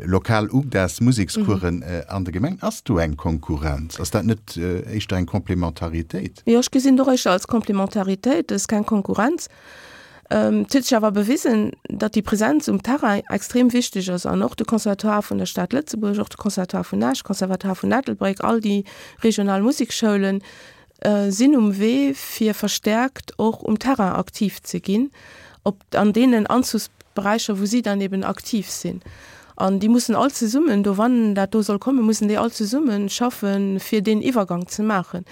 Speaker 2: lokal UGDAs Musekscoursen an de Gemengen. Ass do eng Konkurrenz? Ass dat net éischter eng Complémentaritéit?
Speaker 3: Jo, ech gesinn et och éischter als Complémentaritéit. Et ass keng Konkurrenz. Et huet sech awer bewisen, datt déi Presenz um Terrain extrem wichteg ass an och de Conservatoire vun der Stad Lëtzebuerg, och de Conservatoire vun Esch, Conservatoire vun Ettelbréck, all déi regional Musekschoulen, sinn um Wee fir verstärkt och um Terrain aktiv ze ginn, op an deenen Anzugsberäicher wou si dann eben aktiv sinn. An déi mussen all zesummen do, wann dat do soll kommen, mussen déi all zesumme schaffen, fir deen Iwwergang ze maachen.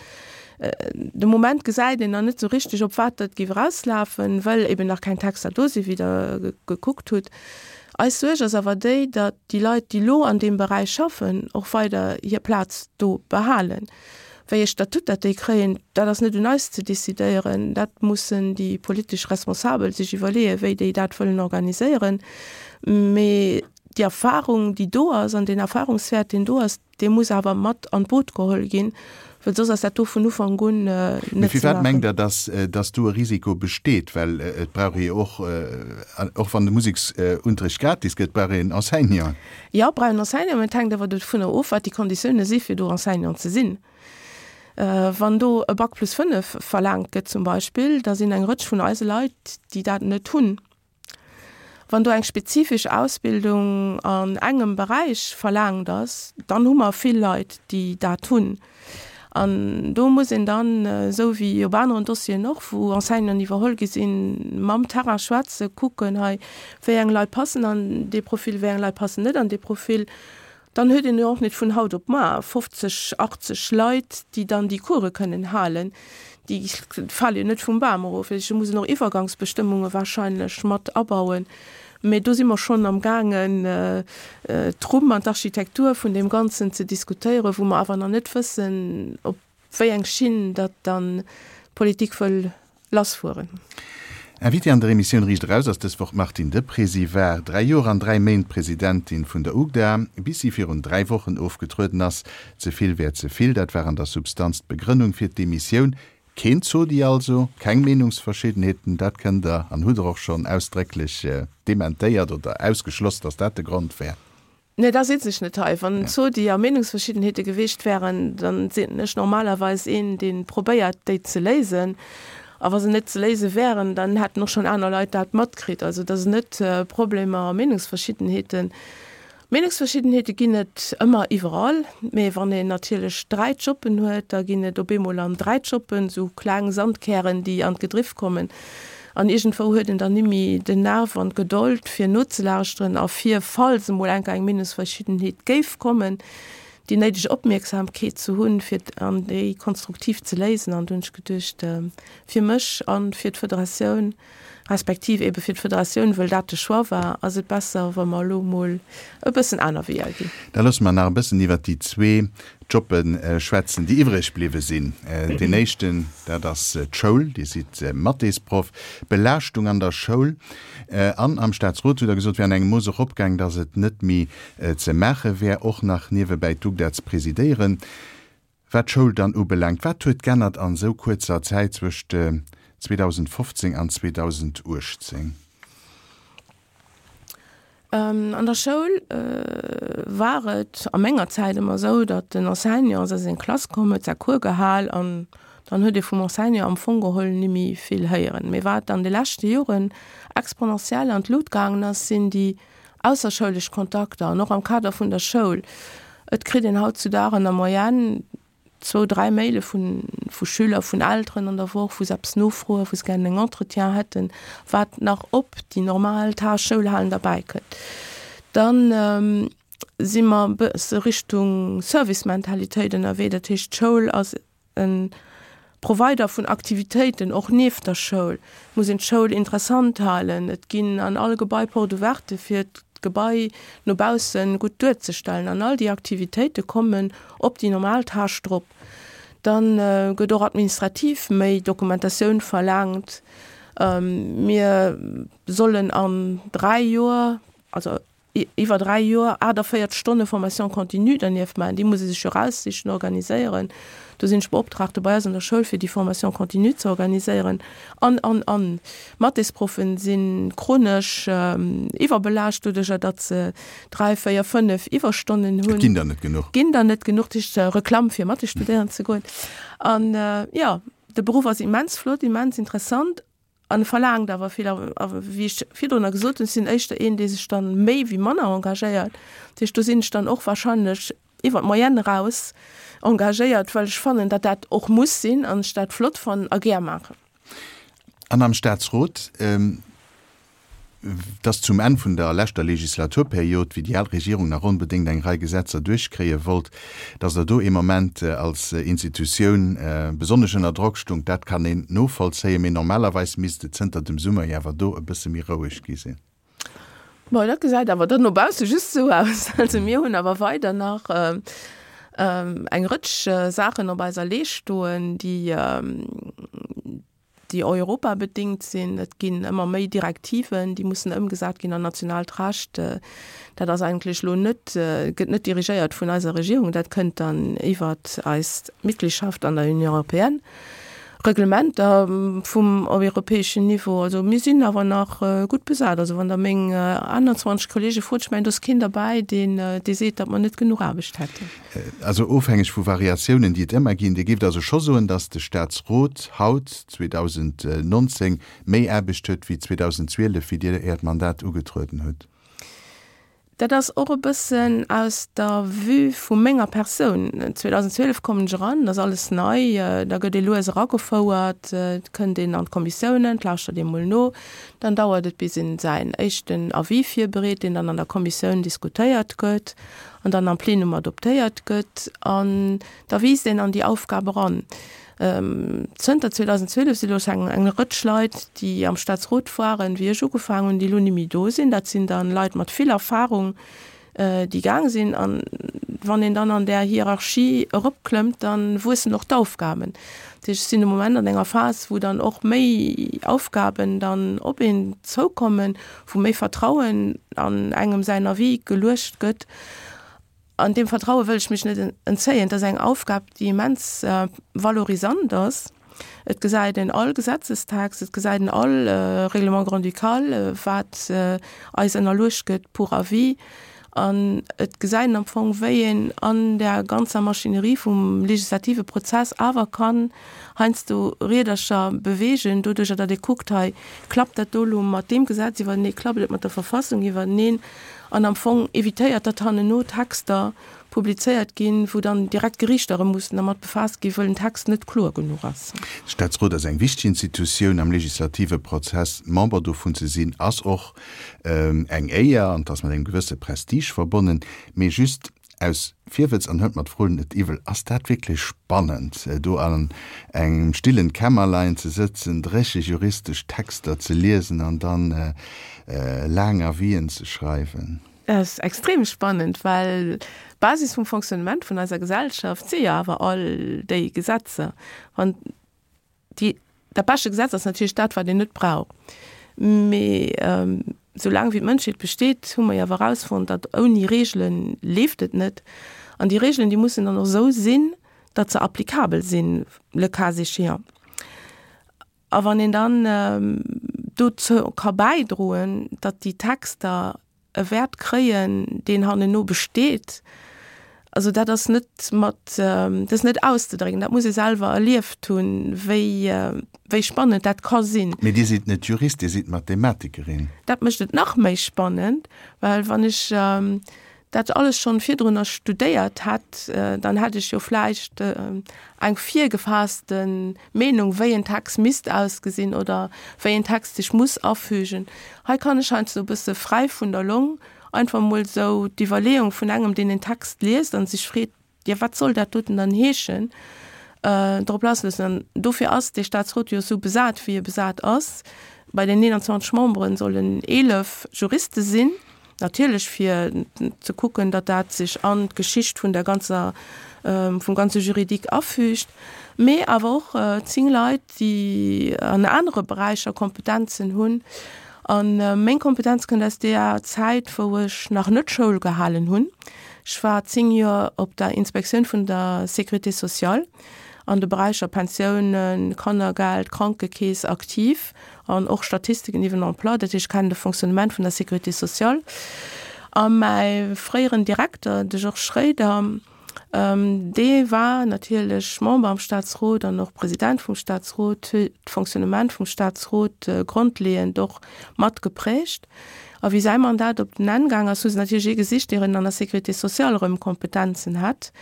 Speaker 3: De Moment gesäit een nach net esou richteg op wat dat géif erauslafen, well eben nach keng Texter do sinn, wéi Der gekuckt hutt. Eis Suerg ass awer déi, datt déi Leit, déi elo an deem Beräich schaffen, och weider hir Plaz do behalen. Wéi ee Statut dat déi kréien, dat ass net un eis ze decidéieren. Dat mussen déi politesch Responsabel sech iwwerleeën, wéi déi dat wëllen organiséieren. Mee déi Erfahrung, déi do ass, an deen Erfahrungswäert, deen do ass, dee muss awer mat an d'Boot geholl ginn, well soss ass dat do vun Ufank un net ze
Speaker 2: Mee firwat
Speaker 3: maachen.
Speaker 2: mengt Der, dass, dass do e Risiko besteet? Well et brauch ee jo och, och wann de Museksunterricht gratis gëtt, brauch een Enseignanten.
Speaker 3: Jo, brauch en Enseignant, mä et hänkt awer dovunner of, wat déi Konditioune si fir do Enseignant ze sinn. Wann do e Bac plus 5 verlaangt gëtt zum Beispill, da sinn eng Rëtsch vun eise Leit, déi dat net hunn. Wann do eng spezifesch Ausbildung an engem Beräich verlaangt ass, dann hu mer vill Leit, déi dat hunn. An do muss een dann, esou wéi op aneren Dossieren och, wou Enseignanten iwwerholl gi sinn, mam Terrain schwätzen, kucken, hei, wéi eng Leit passen an dee Profil, wéi eng Leit passen net an dee Profil. Dann huet een jo och net vun haut op mar 50, 80 Leit, déi dann déi Course kënnen halen. Déi fale jo net vum Bam erof. Ech muss och Iwwergangsbestëmmunge wahrscheinlech mat abauen. Mee do si mer schonn am gaangen, d'Rumm an d'Architektur vun deem Ganzen ze diskutéieren, wou mer awer nach net wëssen, op wéi eng Schinn datt dann d'Politik wëll lassfueren.
Speaker 2: Invitée an der Emissioun Riicht Eraus ass dës Woch d'Martine Deprez. Si war 3 Joer an 3 Méint Presidentin vun der UGDA, bis si virun 3 Wochen ofgetrueden ass. Ze vill wär ze vill, dat war an der Substanz d'Begrënnung fir d'Demissioun. Keen Zodi also, keng Meenungsverschiddenheeten, dat kënnt Der an hutt Der och schonn ausdrécklech dementéiert oder ausgeschloss, datt dat de Grond wär.
Speaker 3: Nee, da sitz ech net hei. Wann Zodi a Meenungsverschiddenheete gewiescht wären, da sinn ech normalerweis een, dee probéiert, déi ze léisen. A wa se net ze léise wären, dann hätten och schonn aner Leit dat matkritt. Also et ass net Problemer a Meenungsverschiddenheeten. Meenungsverschiddenheete ginn et ëmmer iwwerall, mee wann een natierlech 3 Joppen huet, da ginn et op eemol an 3 Joppen esou kleng Sandkären, déi an d'Gedriff kommen. An iergendwou huet een dann nimmi den Nerv an d'Gedold, fir nozelauschteren a fir, falls emol enker eng Meenungsverschiddenheet géif kommen, déi néideg Opmierksamkeet ze hunn, fir an déi konstruktiv ze léisen. An do hunn ech geduecht, fir mech a fir d'Federatioun, respektiv ebe fir d'Federatioun, wëll dat de Choix war, ass et besser, wa mer elo emol e bëssen aner Weeër ginn.
Speaker 2: Da loosse mer nach e bëssen iwwert déi zwee Jobbe schwätzen, déi iwwreg bliwwe sinn. Deen éischten, dat ass d'Schoul. Dir sidd Mathésproff. Belaaschtung an der Schoul an am Staatsrot, hutt Der gesot, wär an engem Mooss eropgaang, datt et net méi ze maache wär, och nach niewebäi d'UGDA ze presidéieren. Wat d'Schoul dann ubelaangt, wat huet g'ännert an esou kuerzer Zäit zwëscht 2015 an 2018?
Speaker 3: An der Schoul war et a menger Zäit ëmmer esou, datt den Enseignant ass a seng Klass komm, huet säi Cours gehal an dann huet ee vum Enseignant am Fong geholl nimmi vill héieren. Mee wat an de leschte Joren exponentiell an d'Lut gaangen ass, sinn déi ausserschoulesch Kontakter an och am Kader vun der Schoul. Et kritt een hautzudag an der Moyenne zwou, dräi Maile vu vu Schüler, vun Elteren an der Woch, wou se eppes nofroen, wou se gären en Entretien hätten, wat nach op déi normal Tâche Schoul halen derbäi kënnt. Dann si mer e bësse Richtung Servicementalitéit ënnerwee, dat heescht d'Schoul ass e Provider vun Aktivitéiten, och nieft der Schoul. Et muss een d'Schoul interessant halen. Et ginn an all Gebai Porte ouverte fir d'Gebai no bausse gutt duerzestellen. An all déi Aktivitéite kommen op déi normal Tâche drop. Da gëtt och administrativ méi Dokumentatioun verlaangt. Mir sollen an 3 Joer, also iwwer 3 Joer 48 Stonne Formation continue dernieft maachen. Déi muss ee sech jo eraussichen, organiséieren. Do sinn ech Beoptraagte bei eis an der Schoul, fir déi Formation continue ze organiséieren. An, an, an. D'Mathésproffen si chronesch iwwerbelaascht, doduercher datt se 3, 4, 5 Iwwerstonnen hunn.
Speaker 2: Et ginn der net genuch.
Speaker 3: Ginn der net genuch. Dat heescht, Reklamm fir Mathé studéieren ze goen. An, jo, de Beruff ass immens flott, immens interessant. An e verlaangt awer vill. A wéi ech virdrunner gesot hunn, ech sinn éischter een, dee sech dann méi wéi manner engagéiert. Dat heescht, do sinn ech dann och wahrscheinlech iwwer d'Moyenne eraus engagéiert, well ech fannen, datt dat och muss sinn an ech dat flott fannen a gär maachen.
Speaker 2: An am Staatsrot, Et ass zum Enn vun der leschter Legislaturperiod, wéi déi al Regierung nach onbedéngt eng Rei Gesetzer duerchkréie wollt, datt Der do ee Moment als Institutioun besonnesch ënner Drock stungt, dat kann een novollzéien. Mee normalerweis misst et zënter dem Summer jo awer do e bësse méi roueg gi sinn.
Speaker 3: Bon, dat gesäit awer dann no bausse just esou aus. Also mir hunn awer weider nach eng Rëtsch Saachen op eiser Leescht stoen, déi, déi europabedingt sinn. Et ginn ëmmer méi Direktiven, déi mussen ëmgesat ginn an nationaalt Recht. Dat ass eigentlech elo net, gëtt net dirigéiert vun eiser Regierung, dat kënnt dann iwwert eis Mitgliedschaft an der Union européenne. Reglementer vum europäeschen Niveau. Also mir sinn awer nach gutt besat. Also wann Der meng 21 Kollege frot, ech mengen, do ass keen derbäi, deen, dee seet, datt mer net genuch Aarbecht hätten.
Speaker 2: Also ofhängeg vu Variatiounen, déi et ëmmer ginn. Dir géift also scho soen, datt de Staatsrot haut, 2019, méi Aarbecht huet wéi 2012, wéi Dir Äert Mandat ugetrueden hutt?
Speaker 3: Dat ass och e bëssen aus der Vue vu menger Persoun. 2012 kommen ech eran, et ass alles nei, da gëtt ee lues eragefouert, et kënnt een an d'Kommissiounen, et lauschtert ee mol no, dann dauert et bis een säin éischten Avis virbereet, deen dann an der Kommissioun diskutéiert gëtt. an dann am Plenum adoptéiert gëtt an da wiisst een an déi Aufgab eran. Zënter 2012 si lo eng eng Rëtsch Leit, déi am Staatsrot waren, wéi ech ugefaangen hunn, déi elo ni méi do sinn. Dat sinn dann Leit mat vill Erfahrung, déi gaang sinn. An wann een dann an där Hierarchie eropklëmmt, da wuessen och d'Aufgaben. Dat heescht, ech sinn de Moment an enger Phas, wou dann och méi Aufgaben dann op een zoukommen, wou méi Vertrauen an engem säin Avis geluecht gëtt. An deem Vertraue wëll ech mech net entzéien. Et ass eng Aufgab, déi immens valorisant ass. Et gesäit een all Gesetzestext, et gesäit een all Règlement grand-ducal, wat eis ënnerluecht gëtt pour avis. An et gesäit een am Fong, wéi een an där ganzer Maschinerie vum legislative Prozess awer kann heiansdo Riedercher beweegen, doduercher datt ee kuckt, hei klappt dat do elo mat deem Gesetz iwwertenee, klappt et mat der Verfassung iwwerteneen, an am Fong evitéiert, datt hannenno Texter publizéiert ginn, wou dann direkt d'Geriichter erëm mussen dermat befaasst ginn, wëll den Text net kloer genuch ass.
Speaker 2: De Staatsrot ass eng wichteg Institutioun am legislative Prozess. Member dovun ze sinn, ass och Eng Éier, an 't ass mat engem gewësse Prestige verbonnen, mee just aus Virwëtz, an huelt mer d'Fro net iwwel, ass dat wierklech spannend, do an engem stillen Kämmerlein ze sëtzen, dréche juristesch Texter ze liesen an dann laang Avisen ze schreiwen?
Speaker 3: Dat ass extrem spannend, well d'Basis vum Fonctionnement vun eiser Gesellschaft si jo awer all déi Gesetzer. Wann Déi, dat beschte Gesetz ass natierlech dat, wat een net brauch. Mee soulaang wéi d'Mënschheet besteet, hu mer jo awer erausfonnt, datt ouni Reegele leeft et net. An déi Reegelen, déi mussen dann och esou sinn, datt se applicabel sinn, le cas échéant. A wann een dann dozou ka bäidroen, datt déi Texter e Wäert kréien, deen hannenno besteet, also dat ass net mat, dat ass net auszedrécken, dat muss ee selwer erlieft hunn, wéi, wéi spannend dat ka sinn.
Speaker 2: Mee Dir sidd net Jurist, Dir sidd Mathematikerin.
Speaker 3: Dat mécht et nach méi spannend, well wann ech. dat alles schonn virdrunner studéiert hätt, dann hätt ech jo vläicht eng virgefaasste Meenung, wéi en Text misst ausgesinn oder wéi en Text sech muss afügen. Hei kann ech heiansdo e bësse fräi vun der Long einfach emol esou d'Iwwerleeung vun engem, deen en Text liest a sech freet, Jo, wat soll dat doten dann heeschen? Drop lassloossen. An dofir ass dee Statsrot jo esou besat, wéi e besat ass. Bei den 21 Membere sollen 11 Juriste sinn, natierlech fir ze kucken, datt dat sech an d'Geschicht vun der ganzer, vum ganze Juridique afügt, mee awer och 10 Leit, déi an anere Beräicher Kompetenzen hunn. A meng Kompetenz kënnt aus deeër Zäit, wou ech nach net Schoul gehalen hunn. Ech war 10 Joer op der Inspektioun vun der Sécurité sociale an de Beräicher Pensiounen, Kannergeld, Krankekeess aktiv an och Statistiken iwwer den Emploi. Dat heescht, ech kennen de Fonctionnement vun der Sécurité sociale. A mäi fréieren Direkter, de Georges Schroeder, Dee war natierlech Member am Staatsrot an och President vum Staatsrot, huet d'Fonctionnement vum Staatsrot grondleeënd och mat geprägt. A wéi säi Mandat op den Enn gaang ass, hu se natierlech ee gesicht, deen an der Sécurité sociale erëm Kompetenzen hätt.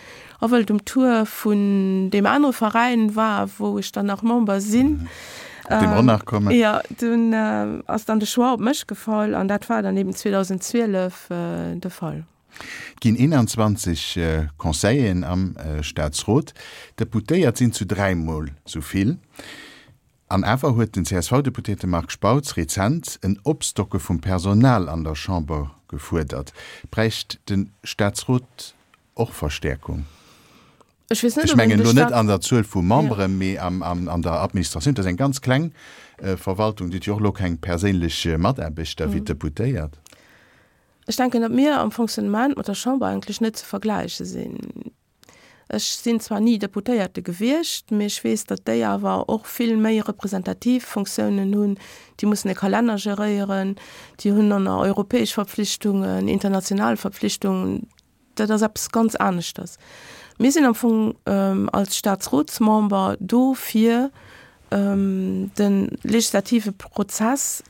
Speaker 3: A wëll et um Tour vun deem anere Veräin war, wou ech dann nach Member sinn,
Speaker 2: Op dee mer och nach kommen.
Speaker 3: Jo, dunn ass dann de Choix op mech gefall an dat war dann eben 2012 de Fall.
Speaker 2: Et ginn 21 Conseilleren am Staatsrot, Deputéiert sinn zu dräimol sou vill. An awer huet den CSV-Deputéierte Marc Spautz rezent en Opstocke vum Personal an der Chamber gefuerdert. Bräicht de Staatsrot och Verstäerkung?
Speaker 3: Ech weess net,
Speaker 2: Ech
Speaker 3: ob een
Speaker 2: mengen
Speaker 3: de
Speaker 2: elo net
Speaker 3: Staat.
Speaker 2: an der Zuel vu Memberen, mee an der Administratioun. Dat ass eng ganz kleng Verwaltung. Déi huet jo och elo keng perséinlech Mataarbechter wéi d'Deputéiert.
Speaker 3: Ech denken, datt mir am Fonctionnement mat der Chamber eigentlech net ze vergläiche sinn. Ech sinn zwar ni Deputéierte gewiescht, mee ech weess, datt déi awer och vill méi representativ Fonctiounen hunn. Déi mussen e Kalenner geréieren, déi hunn dann nach europäesch Verpflichtungen, international Verpflichtungen. Dat ass eppes ganz aneschters. Mir sinn am Fong als Staatsrotsmember do fir de legislative Prozess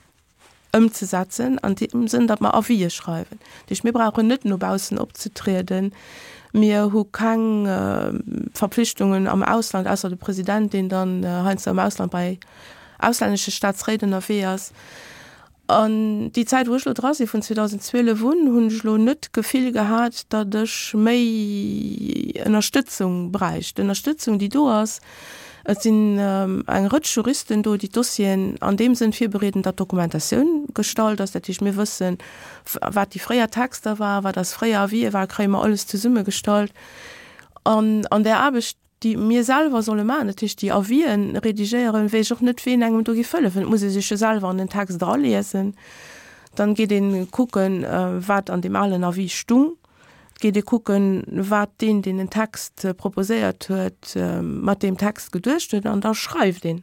Speaker 3: ëmzesetzen an deem Sënn, datt mer Avisë schreiwen. Dat heescht, mir brauchen net no baussen opzetrieden. Mir hu keng Verpflichtungen am Ausland, ausser de President, deen dann heiansdo am Ausland bei auslännesche Staatsréit ënnerwee ass. An déi Zäit, wou ech elo dra sinn, vun 2012 un, hunn ech elo net d'Gefill gehat, datt ech méi Ënnerstëtzung bräicht. D'Ënnerstëtzung, déi do ass, Et sinn eng Rëtsch Juristen do, déi d'Dossieren an deem Sënn virbereeden, datt d'Dokumentatioun gestallt ass. Dat heescht, mir wëssen, wat déi fréier Texter waren, wat eis fréier Avisë waren, kréie mer alles zesummegestallt. An an där Aarbecht, déi mir selwer solle maachen, dat heescht déi Avisë redigéieren, weess ech och net, ween engem do géif hëllefen. Et muss ee sech jo selwer an den Text eraliesen. Dann geet ee kucken, wat an deem alen Avis stung. Et geet ee kucken, wat deen, deen den Text proposéiert huet, mat deem Text geduecht huet, an da schreift een.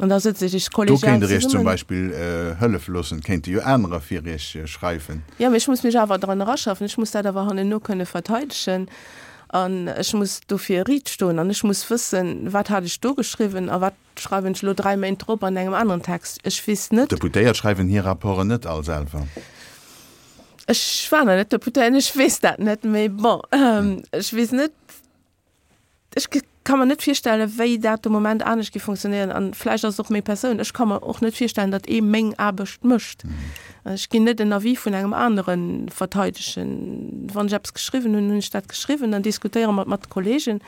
Speaker 3: An da sëtze sech
Speaker 2: Do
Speaker 3: kollegial
Speaker 2: kéint Der Iech zum
Speaker 3: zesummen.
Speaker 2: Beispill hëllefe loossen, et kéinte jo anerer fir Iech schreiwen.
Speaker 3: Jo, mee ech muss mech awer dran eraschaffen, ech muss dat awer hannenno kënne verteidegen an ech muss dofir riit stoen an ech muss wëssen, wat hat ech do geschriwwen a wat Schreiwen ech elo 3 Méint drop an engem aneren Text? Ech weess net.
Speaker 2: D'Deputéiert schreiwen hir Rapporten net all selwer.
Speaker 3: Ech war nach net Deputéiert, ech weess dat net. Mee bon, ech weess net, ech ka mer net virstellen, wéi dat de Moment anescht géif funktionéieren. An vläicht ass et och meng Persoun, ech ka mer och net virstellen, datt ee meng Aarbecht mécht. Ech ginn net en Avis vun engem anere verteidegen. Wann ech eppes geschriwwen hunn, hunn ech dat geschriwwen, dann diskutéiere mer et mat de Kollegen.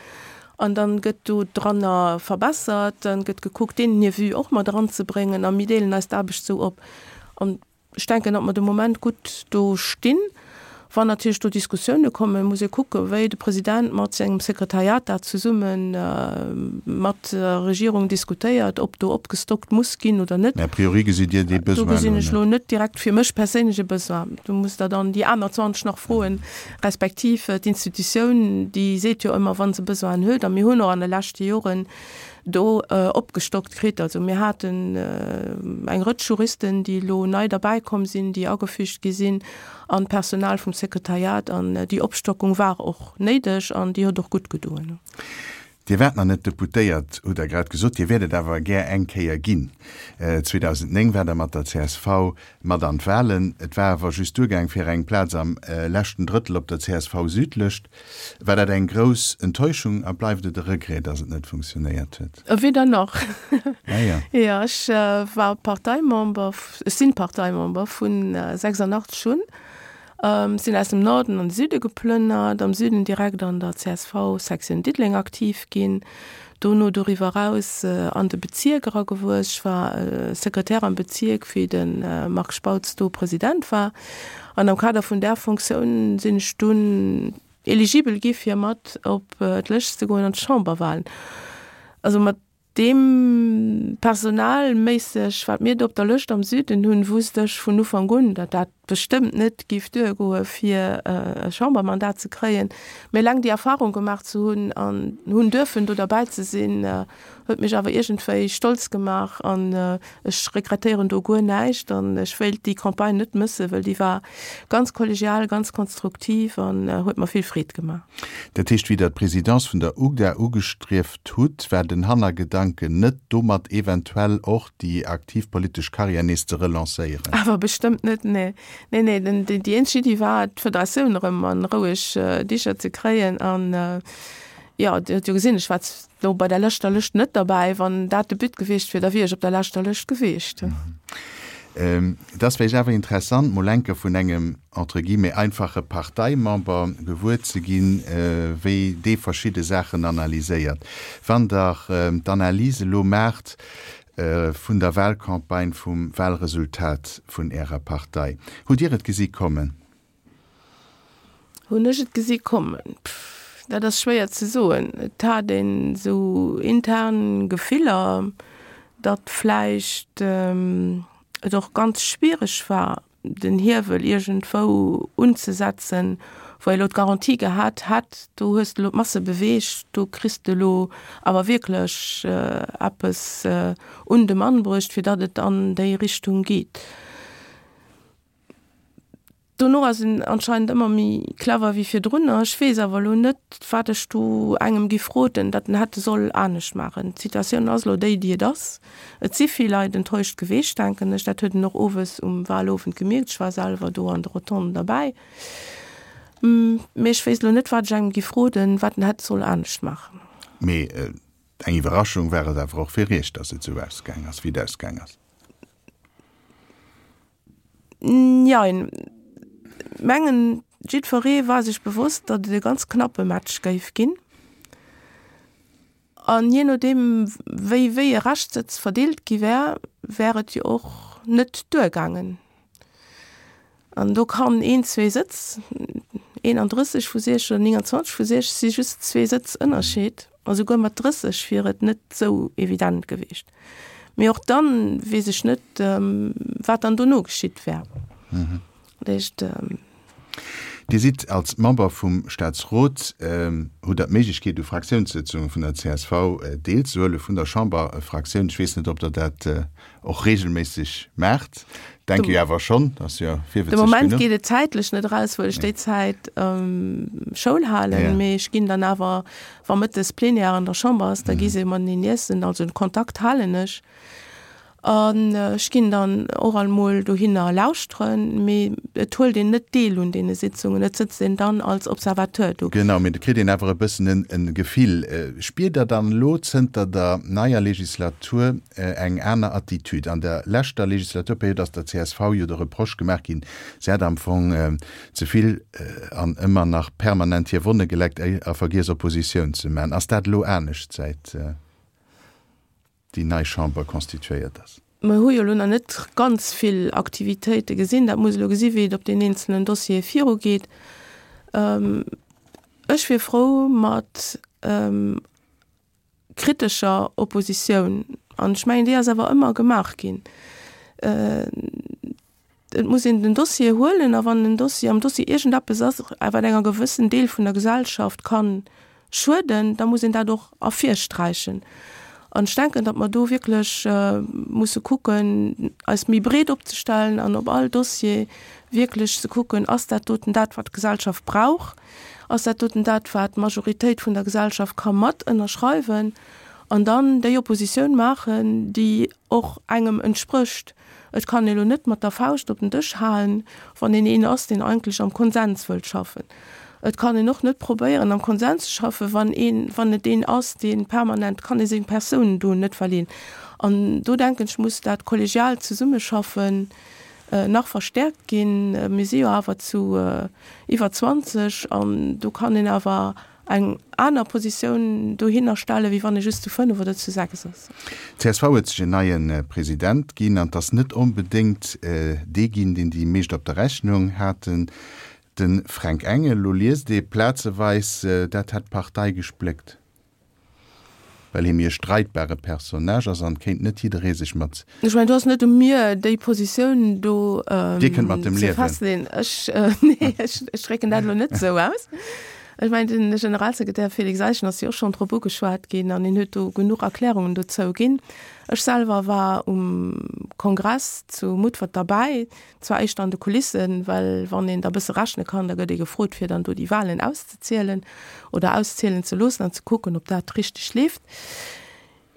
Speaker 3: An dann gëtt do dranner verbessert, dann gëtt gekuckt, deenen hir Vue och mat eranzebréngen a mir deelen eis d'Aarbecht esou op. An ech denken, datt mer de Moment gutt do stinn. Wann natierlech do Diskussioune kommen, muss ee kucken, wéi de President mat sengem Sekretariat dat zesumme mat der Regierung diskutéiert, ob do opgestockt muss ginn oder net.
Speaker 2: Mä a priori gesitt Dir dee
Speaker 3: Do
Speaker 2: Besoin elo
Speaker 3: gesinn ech
Speaker 2: net?
Speaker 3: elo net direkt fir mech perséinlech e Besoin. Do musst Der dann déi aner 20 nach froen. Respektiv d'Institutioun, déi seet jo ëmmer, wa se Besoinen huet, a mir hunn och an de leschte Joren do opgestockt kritt. Also mir haten eng Rëtsch Juristen, déi elo nei derbäikomm sinn, déi agefügt gi sinn an d'Personal vum Sekretariat. An déi Opstockung war och néideg an déi huet och gutt gedoen.
Speaker 2: Dir waart nach net Deputéiert, hutt Der grad gesot. Dir wäert et awer gär eng Kéier ginn. 2009 waart Der mat der csv mat an d'Wahlen. Et war awer just duergaang fir eng Plaz am leschten Drëttel op der CSV-Südlëscht. War dat eng grouss Enttäuschung a bleift et e Regret, datt et net funktionéiert huet?
Speaker 3: Weder nach.
Speaker 2: Ah jo.
Speaker 3: Jo, ech war Parteimember, ech sinn Parteimember vun 86 un. Sinn aus dem Norden an de Süde geplënnert, am Süden direkt an der csv Sektioun Diddeleng aktiv ginn, dono doriwwer eraus an de Bezierk eragewuess. Ech war Sekretär am Bezierk wéi de Marc Spautz do President war an am Kader vun där Fonctioun sinn ech dunn eligibel gi fir mat op d'Lëscht ze goen an d'Chamberwahlen. Also mat Deem personalméisseg, wat mir do op der Lëscht am Süden hunn, wusst ech vun Ufank un, datt dat bestëmmt net géif duergoe fir e Chambermandat ze kréien. Mee eleng déi Erfahrung gemaach ze hunn an hunn duerfen do derbäi ze sinn, huet mech awer iergendwéi stolz gemaach an ech regrettéieren do guer näischt an ech wéilt déi Campagne net mëssen, wëll déi war ganz kollegial, ganz konstruktiv an huet mer vill Freed gemaach.
Speaker 2: Dat heescht, wéi Der d'Présidence vun der UGDA ugestrieft hutt, war den Hannergedanken net, domat eventuell och déi aktiv politesch Karriär nees ze relancéieren?
Speaker 3: Awer bestëmmt net, nee. Nee, nee, den, déi eenzeg Iddi war, d'Federatioun erëm a roueg Dicher ze kréien. An, jo, Dir hutt jo gesinn, ech war do bei der leschter Lëscht net derbäi. Wann dat de But gewiescht wier, da wier ech op der leschter Lëscht gewiescht.
Speaker 2: Et ass vläicht awer interessant, mol enke vun engem, entre guillemets, einfache Parteimember gewuer ze ginn, wéi dee verschidde Saachen analyséiert. Wann Der d'Analys elo maacht vun der Wahlcampagne, vum Wahlresultat vun Ärer Partei, hutt Dir et gesi kommen?
Speaker 3: Hunn ech et gesi kommen? Pff, dat ass schwéier ze soen. Et hat een esou intern Gefiller, datt vläicht et och ganz schwiereg war, den Hiewel iergendwou unzesetzen, wou ee elo d'Garantie gehat hätt, do hues de elo d'Masse beweegt, do kriss de elo awer wierklech eppes un de Mann bruecht, fir datt et an déi Richtung geet. Dono ass en anscheinend ëmmer méi clever wéi virdrunner. Ech weess awer elo net, wat ech do engem giff roden, datt en hätte soll anescht maachen. D'Situatioun ass elo déi, déi et ass. Et si vill Leit enttäuscht geweecht, denken ech. Dat huet een och owes um Wahlowend gemierkt. Ech war selwer do an de Rotonden derbäi. Mee ech wéisst elo net, wat ech engem giff roden, wat en hätt soll anescht maachen.
Speaker 2: Mee eng Iwwerraschung war et awer och fir Iech, datt et esou ausgaang ass, wéi et ausgaang ass.
Speaker 3: Jein. Mengen jiddferee war sech bewosst, datt et e ganz knappe Match géif ginn. An jee nodeem wéi wéi e Reschtsëtz verdeelt gi wär, wär et jo och net duergaangen. An do kann een, zwee Sëtz, 31 vu 60 oder 29 vu 60 si just zwee Sëtz Ënnerscheed. A souguer mat 30 wier et net esou evident gewiescht. Mee och dann weess ech net, wat dann dono geschitt wär. Dat heescht.
Speaker 2: Dir sidd als Member vum Staatsrot, hutt Der d'Méiglechkeet u Fraktiounssëtzunge vun der csv deelzehuelen, vun der Chamberfraktioun. Ech weess net, ob Der dat och reegelméisseg maacht. Denke jo awer schonn, ass jo
Speaker 3: virwëtzeg genuch. De Moment geet et zäitlech net eraus, wëll ech déi Zäit Schoul halen, mee ech ginn dann awer, wa mëttes Plenière an der Chamber ass, da gi se mateneen iessen, also den Kontakt halen ech. An ech ginn dann och alt mol dohinner lauschteren, mee et huelt een net deel un deene Sitzungen, et sëtzt een dann als Observateur do.
Speaker 2: Genau, mee et kritt een awer e bëssen e Gefill. Spiert Der dann elo zënter der neier Legislatur eng aner Attitude? An der leschter Legislaturperiod ass der csv jo de Reproche gemaach ginn, se hätt am Fong ze vill an ëmmer nach permanent hir Wonne geleckt a vergiess Oppositioun ze maachen. Ass dat elo anescht säit déi nei Chamber constituéiert ass?
Speaker 3: Mer hu jo elo nach net ganz vill Aktivitéite gesinn. Dat muss elo gesi wéi et op den eenzelen Dossiere virugeet. Ech wier frou mat kritescher Oppositioun. An ech mengen, déi ass awer ëmmer gemaach ginn. Et muss een den Dossier huelen a wann den Dossier, am Dossier iergendeppes ass, wat enger gewëssen Deel vun der Gesellschaft ka schueden, da muss een dat och ervirsträichen. An ech denken, datt mer do wierklech musse kucken, eis méi breet opzestellen an op all Dossier wierklech ze kucken, ass dat doten dat, wat d'Gesellschaft brauch? Ass dat doten dat, wat d'Majoritéit vun der Gesellschaft ka mat ënnerschreiwen? An dann déi Oppositioun maachen, déi och engem entsprécht. Et kann ee lo net mat der Fauscht op den Dësch haen, wann een een ass, deen eigentlech am Konsens wëllt schaffen. Et kann een och net probéieren, am Konsens ze schaffen, wann een, wann et een ass, dee permanent, kann ee seng Persoun do net verleen. An do denken ech, muss dat kollegiaalt Zesummeschaffen nach verstärkt ginn. Mir si jo awer zu iwwer 20 an do kann een awer eng aner Positioun dohinner stellen, wéi wann ee just zu 5 oder zu 6 ass.
Speaker 2: Csv huet sech en neie President ginn an 't ass net onbedéngt dee ginn, deen déi meescht op der Rechnung haten, de Fränk Engel. Lo liest ee plazeweis, dat hätt d'Partei gespléckt, well hie méi e streitbare Personnage ass an kéint net jidderee sech mat.
Speaker 3: Ech mengen, do ass net u mir, déi Positioun do
Speaker 2: Dir kënnt mat dem
Speaker 3: ze
Speaker 2: liewen.
Speaker 3: festleeën. Ech, nee, ech, ech drécken dat elo net esou aus. Ech mengen, den Generalsekretär Félix Eischen ass jo och schonn drop ugeschwat ginn an hien huet do genuch Erklärungen dozou ginn. Ech selwer war um Kongress zu Mutfert derbäi, zwar éischter an de Kulissen, well wann een da bësse rechne kann, da gëtt ee gefrot, fir dann do déi Wahlen auszezielen oder auszielen ze loossen an ze kucken, ob dat richteg leeft.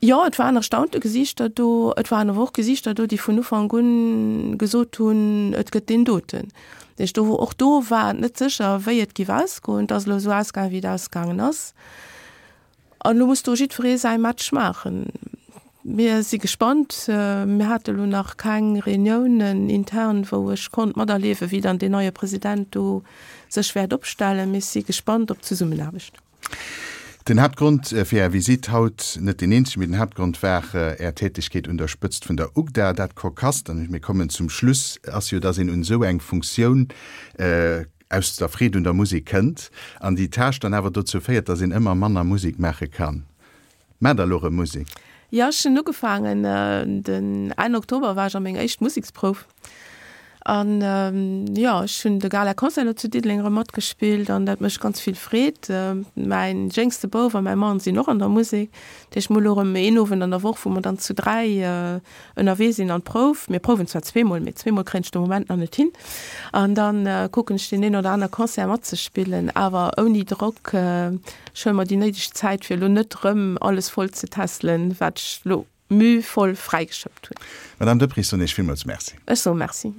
Speaker 3: Jo, et waren erstaunte Gesiichter do. Et waren awer och Gesiichter do, déi vun Ufank un gesot hunn, et gëtt deen doten. Dat heescht, do, och do war et net sécher, wéi et géif ausgoen. Et ass elo esou ausgaangen, wéi et ausgaangen ass. An elo muss do jiddweree säi Match maachen. Mir si gespannt. Mir hate elo nach keng Reuniounen intern, wou ech konnt materliewen, wéi dann deen neie President do sech wäert opstellen. Mee ech si gespannt op d'Zesummenaarbecht.
Speaker 2: Den Haaptgrond fir Är Visitt haut, net deen eenzegen, mee den Haaptgrond war Är Tätegkeet un der Spëtzt vun der UGDA. Dat Kokasst, an mir kommen zum Schluss, ass jo, dass een un esou eng Funktioun aus der Freed un der Musek kënnt an déi Tâche dann awer dozou féiert, dass een ëmmer manner Musek maache kann. Maacht Der elo erëm Musek?
Speaker 3: Jo, ech hunn ugefaangen, den Enn Oktober war ech a meng éischt Museksprouf. An jo, ech hunn de Gala-Concert elo zu Diddeleng erëm matgespillt an dat mécht ganz vill Freed. Mäin jéngste Bouf a mäi Mann sinn och an der Musek. Dat heescht, mir hu elo erëm een Owend an der Woch, wou mer dann zu 3 ënnerwee sinn an d'Prouf. Mir prouwen zwar zweemol, mee zweemol kréien ech de Moment nach net hin. An da kucken ech deen een oder aner Concert matzespillen, awer ouni Drock. Ech huele mer déi néideg Zäit, fir elo net erëm alles voll ze tässelen, wat ech elo mühvoll fräigeschëppt hunn.
Speaker 2: Madame Deprez, soen Iech villmools Merci.
Speaker 3: Ech soe Merci.